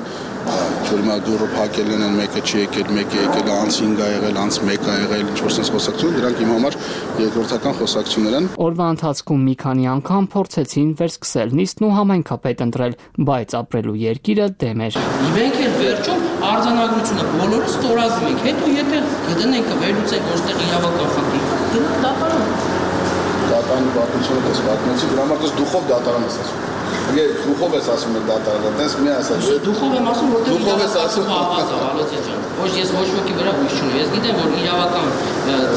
որ հիմա դուրը փակել են, մեկը չի եկել, մեկը եկել, անց 5 ա եղել, անց 1 ա եղել, ինչ-որ sense խոսակցություն, դրանք իմ համար երկրորդական խոսակցություններ են։ Օրվա ընթացքում մի քանի անգամ փորձեցին վերսկսել նիստն ու համայնքապետ ընտրել, բայց ապրելու երկիրը դեմ էր։ Մենք էլ վերջում արձանագրությունը բոլորը ստորագրում ենք, հետո եթե կդնենք վերլուծենք որտեղ իրավական խնդիր, դրանք դատարան։ Դատարանի պատմությունը դες պատմեցի, դրա համար դες դուխով դատարան ես ասում։ Եկե դուխով ես ասում եմ դատարանը, դες մի ասած։ Դուխով եմ ասում, որտեղ դուխով ես ասում պահված է, Վալոցյան ջան։ Ոչ ես ոչ ոքի վրա հույս չունեմ։ Ես գիտեմ, որ իրավական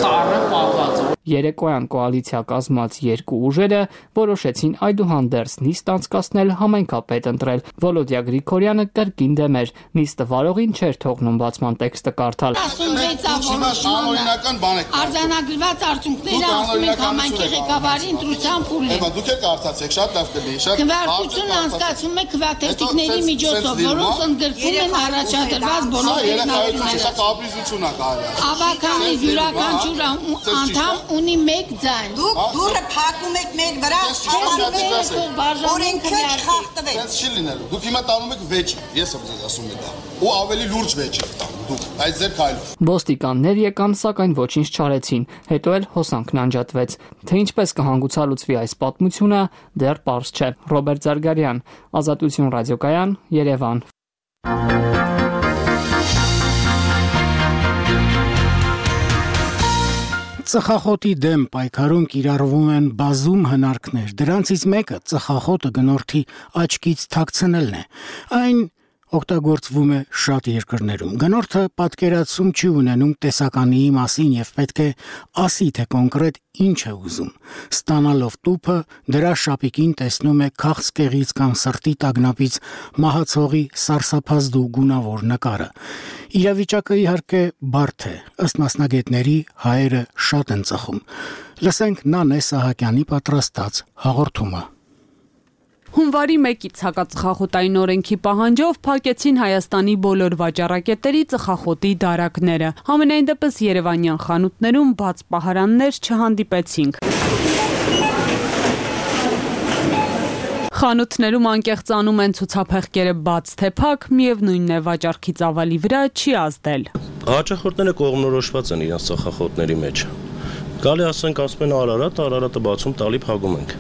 ծառը պահված է։ Երեկոյան կոալիցիա կազմած 2 ուժերը որոշեցին այդուհանդերձ նիստ անցկացնել համայնքապետ ընտրել։ Վոլոդյա Գրիգորյանը կրկին դեմ էր։ Նիստը վարողին չէր թողնում բացման տեքստը կարդալ։ 16-ական բան է։ Արձանագրված արդյունքները ասում են համայնքի ղեկավարի ընտրության փուլն է։ Դուք եք արծացեք, շատ լավ կլինի, շատ։ Քվեարկությունը անցկացվում է քվեատերտիկների միջոցով, որոնց ընդգրկվում են առաջադրված բոլոր երկրները։ Ավագանի յուրաքանչյուր անդամ ունի 1 ձայն։ Դուք դուրը փակում եք մեր վրա, օրենքը չխախտվեց։ Դա չի լինելու։ Դուք հիմա տանում եք վեճ, ես եմ ձեզ ասում դա։ Ու ավելի լուրջ վեճ եք տանում դուք, այս ձեր քայլով։ Ոստիկաններ եկան, սակայն ոչինչ չարեցին։ Հետո էլ հոսանքն անջատվեց։ Թե ինչպես կհանգուցալուծվի այս պատմությունը, դեռ պարզ չէ։ Ռոբերտ Զարգարյան, Ազատություն ռադիոկայան, Երևան։ Ծխախոտի դեմ պայքարում կիրառվում են բազում հնարքներ։ Դրանցից մեկը ծխախոտը գնորդի աչքից թաքցնելն է։ Այն օգտագործվում է շատ երկրներում։ Գնորդը պատկերացում չի ունենում տեսականի մասին եւ պետք է ասի, թե կոնկրետ ինչ է ուզում։ Ստանալով տուփը, դրա շապիկին տեսնում է քաղցկեղից կամ սրտի տագնապից մահացողի սարսափազդու գունավոր նկարը։ Իրավիճակը իհարկե բարդ է, ըստ մասնագետների հայերը շատ են ծխում։ Լսենք Նանե Սահակյանի պատրաստած հաղորդումը։ Հունվարի 1-ից հակածխախոտային օրենքի պահանջով փակեցին Հայաստանի բոլոր վաճառակետերի ծխախոտի դարակները։ Համենայն դեպս երևանյան խանութներում բաց պահարաններ չհանդիպեցինք։ Խանութներում անկեղծանում են ցուցափեղկերը բաց թե փակ, միևնույնն է վաճառքի ծավալի վրա չի ազդել։ Հաճախորդները կողմնորոշված են իրենց ծխախոտների մեջ։ Գալի ասենք ասում են Արարատը բացում տալի փակում ենք։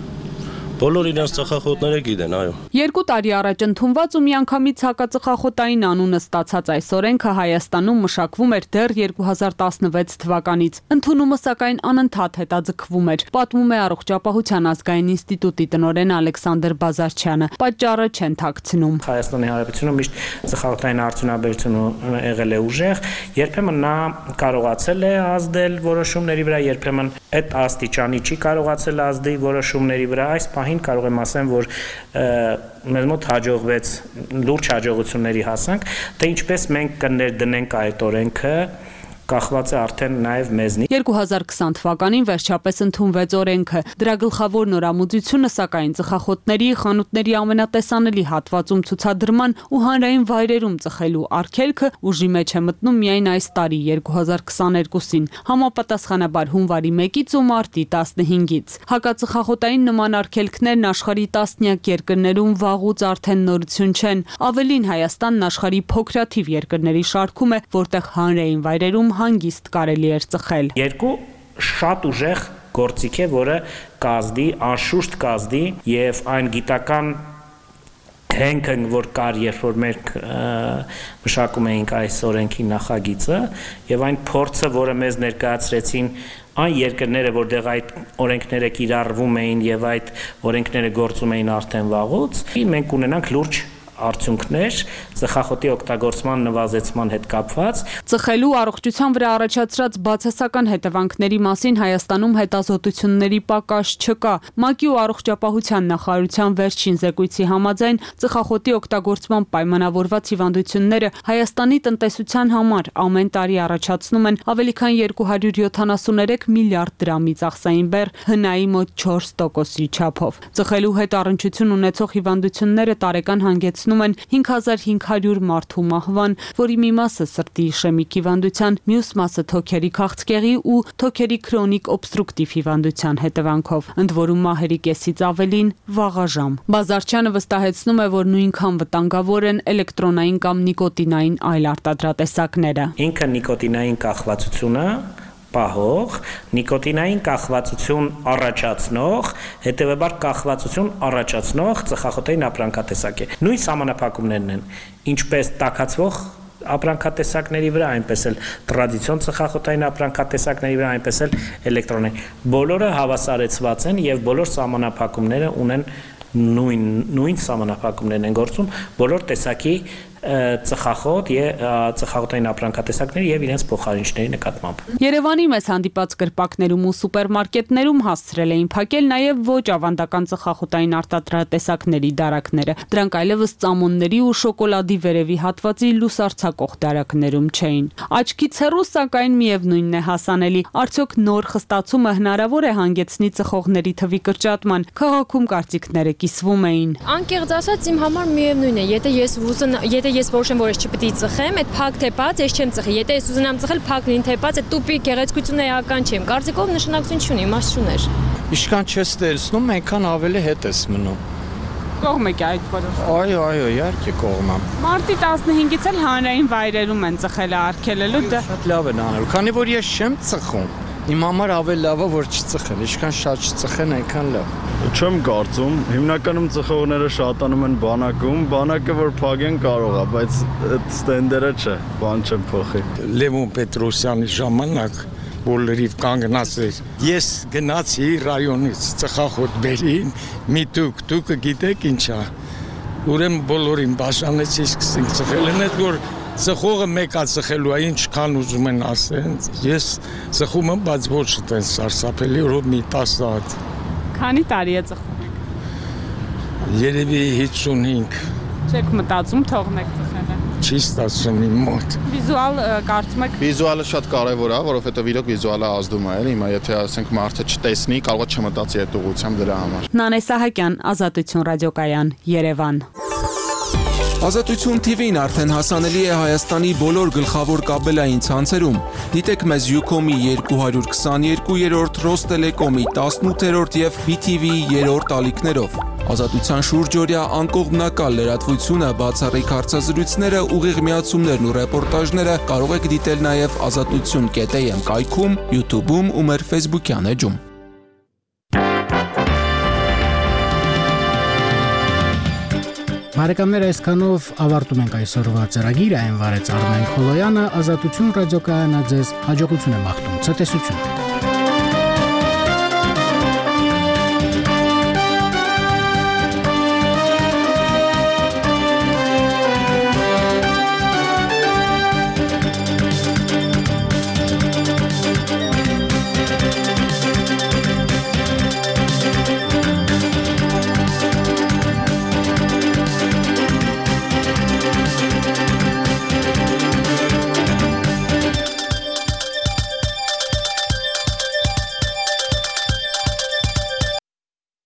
Բոլոր իրենց ծխախոտները գիտեն, այո։ 2 տարի առաջ ընդունված ու միանգամից հակածխախոտային անունը ստացած այս օրենքը Հայաստանում մշակվում էր դեռ 2016 թվականից։ Ընդունումը սակայն անընդհատ հետաձգվում էր, պատմում է Առողջապահության ազգային ինստիտուտի տնօրեն Ալեքսանդր Բազարչյանը։ Պատճառը չեն թաքցնում։ Հայաստանի Հանրապետությունում միշտ ծխախոտային արդյունաբերությունը եղել է ուժեղ, երբեմն նա կարողացել է ազդել որոշումների վրա, երբեմն այդ աստիճանի չի կարողացել ազդել որոշումների վրա։ Այս պահին կարող եմ ասեմ, որ մեզ մոտ հաջողվեց լուրջ հաջողությունների հասանք, թե ինչպես մենք կներդնենք այդ օրենքը կախված է արդեն նաև մեզնից։ 2020 թվականին վերջապես ընդունվեց օրենքը։ Դրա գլխավոր նորամուծությունը սակայն ծխախոտների, խանութների ամենատեսանելի հատվածում ցուցադրման ու հանրային վայրերում ծխելու արգելքը ուժի մեջ է մտնում միայն այս տարի 2022-ին, համապատասխանաբար հունվարի 1-ից ու մարտի 15-ից։ Հակածխախոտային նման արգելքներն աշխարհի տասնյակ երկրներում վաղուց արդեն նորություն չեն։ Ավելին Հայաստանն աշխարհի փոքրաթիվ երկրների շարքում է, որտեղ հանրային վայրերում հանգիստ կարելի էր ծխել։ Երկու շատ ուժեղ գործիք է, որը կազդի, անշուշտ կազդի եւ այն գիտական հենքը, որ կար, երբ որ մենք մշակում էինք այս օրենքի նախագիծը եւ այն փորձը, որը մեզ ներկայացրեցին այն երկրները, որտեղ այդ օրենքները կիրառվում էին եւ այդ օրենքները գործում էին արդեն վաղուց, մենք ունենանք լուրջ արդյունքներ ծխախոտի օգտագործման նվազեցման հետ կապված։ Ծխելու առողջության վրա առաջացրած բացասական հետևանքների մասին Հայաստանում հետազոտությունների պակաս չկա։ ՄԱԿ-ի ու Առողջապահության նախարարության վերջին զեկույցի համաձայն ծխախոտի օգտագործման պայմանավորված հիվանդությունները Հայաստանի տնտեսության համար ամեն տարի առաջացնում են ավելի քան 273 միլիարդ դրամի ծախսային բեռ, ՀՆԱ-ի մոտ 4%-ի չափով։ Ծխելու հետ առնչություն ունեցող հիվանդությունները տարեկան հանգեցնում են 5500 մարդու մահվան, որի մի մասը սրտի իշեմիկ հիվանդության, մյուս մասը թոքերի քաղցկեղի ու թոքերի քրոնիկ օբստրուկտիվ հիվանդության հետևանքով, ընդ որում մահերի կեսից ավելին վաղաժամ։ Բազարչյանը վստահեցնում է, որ նույնքան վտանգավոր են էլեկտրոնային կամ նիկոտինային այլ արտադրատեսակները։ Ինքը նիկոտինային կախվածությունը պահող, նիկոտինային կախվածություն առաջացնող, հետևաբար կախվածություն առաջացնող ծխախոտային ապրանքատեսակ է։ Նույն սահմանափակումներն են, ինչպես տաքացվող ապրանքատեսակների վրա, այնպես էլ տրադիցիոն ծխախոտային ապրանքատեսակների վրա, այնպես էլ էլեկտրոնային։ Բոլորը հավասարեցված են եւ բոլոր սահմանափակումները ունեն նույն սահմանափակումներն են գործում բոլոր տեսակի ծխախոտ եւ ծխախոտային ապրանքատեսակների եւ իրենց փոխարինչների նկատմամբ։ Երևանի մեծ հանդիպած կրպակներում ու սուպերմարկետներում հասցրել էին փակել նաեւ ոչ ավանդական ծխախոտային արտադրատեսակների դարակները։ Դրանք այլևս ծամոնների ու շոկոլադի վերևի հատվածի լուսարձակող դարակներում չէին։ Աչքից հեռու սակայն միևնույնն է հասանելի։ Արդյոք նոր խստացումը հնարավոր է հանգեցնի ծխողների թվի կրճատման։ Քաղաքում կարծիքները կիսվում էին։ Անկեղծ ասած իմ համար միևնույն է, եթե ես որոշեմ, որ ես չպետք է ծխեմ, այդ փակ թե բաց ես չեմ ծխի։ Եթե ես ուզենամ ծխել փակ լինի թե բաց, այդ տուփի գեղեցկությունը էական չէ։ Կարծիքով նշանակություն չունի, իմաստ չուներ։ Ինչքան չես տեսնում, այնքան ավելի հետ ես մնում։ Կողմ եք այդ որոշումը։ Այո, իհարկե կողմ եմ։ Մարտի 15-ից էլ հանրային վայրերում են ծխելը արգելելու դա։ Շատ լավ են անելու, քանի որ ես չեմ ծխում։ Իմ համար ավելի լավ է, որ չծխեն, ինչքան շատ չծխեն, այնքան լավ։ Չեմ կարծում, հիմնականում ծխողները շատանում են բանակում, բանակը որ փակեն կարող է, բայց այդ ստենդերը չէ, բան չեմ փոխի։ Լևոն Պետրոսյանի ժամանակ բոլորիվ կանգնած էր։ Ես գնացի ռայոնից ծխախոտ բերին, մի դուքը գիտեք ինչա։ ուրեմն բոլորին բաժանեցի սկսենք ծխել, այնդ որ ծխողը մեկա ծխելու է, ինչքան ուզում են ասեն, ես ծխում եմ, բայց ոչ այդպես սարսափելի, որ մի 10 հատ։ Քանի տարի է ծխում եք։ Երևի 55։ Չեք մտածում թողնեք ծխելը։ Չի ստացվում իմ մոտ։ Վիզուալ կարծում եք։ Վիզուալը շատ կարևոր է, որովհետև իրոք վիզուալը ազդում է, հիմա եթե ասենք մարդը չտեսնի, կարող է չմտածի այդ ուղղությամբ դրա համար։ Նանե Սահակյան, Ազատություն ռադիոկայան, Երևան։ Ազատություն TV-ն արդեն հասանելի է Հայաստանի բոլոր գլխավոր կաբելային ցանցերում։ Դիտեք մեզ Ucom-ի 222-րդ, Ռոստելեկոմի 18-րդ եւ BTV-ի 3-րդ ալիքներով։ Ազատության շուրջօրյա անկողմնակալ լրատվությունը, բացառիկ հարցազրույցները, ուղիղ միացումներն ու ռեպորտաժները կարող եք դիտել նաև azatutun.am կայքում, YouTube-ում ու մեր Facebook-յան էջում։ Բարեկամներ, այսքանով ավարտում ենք այսօրվա ծրագիրը, այն վարեց Արմեն Քոլոյանը, Ազատություն ռադիոկայանը ձեզ հաջողություն է մաղթում, ցտեսություն։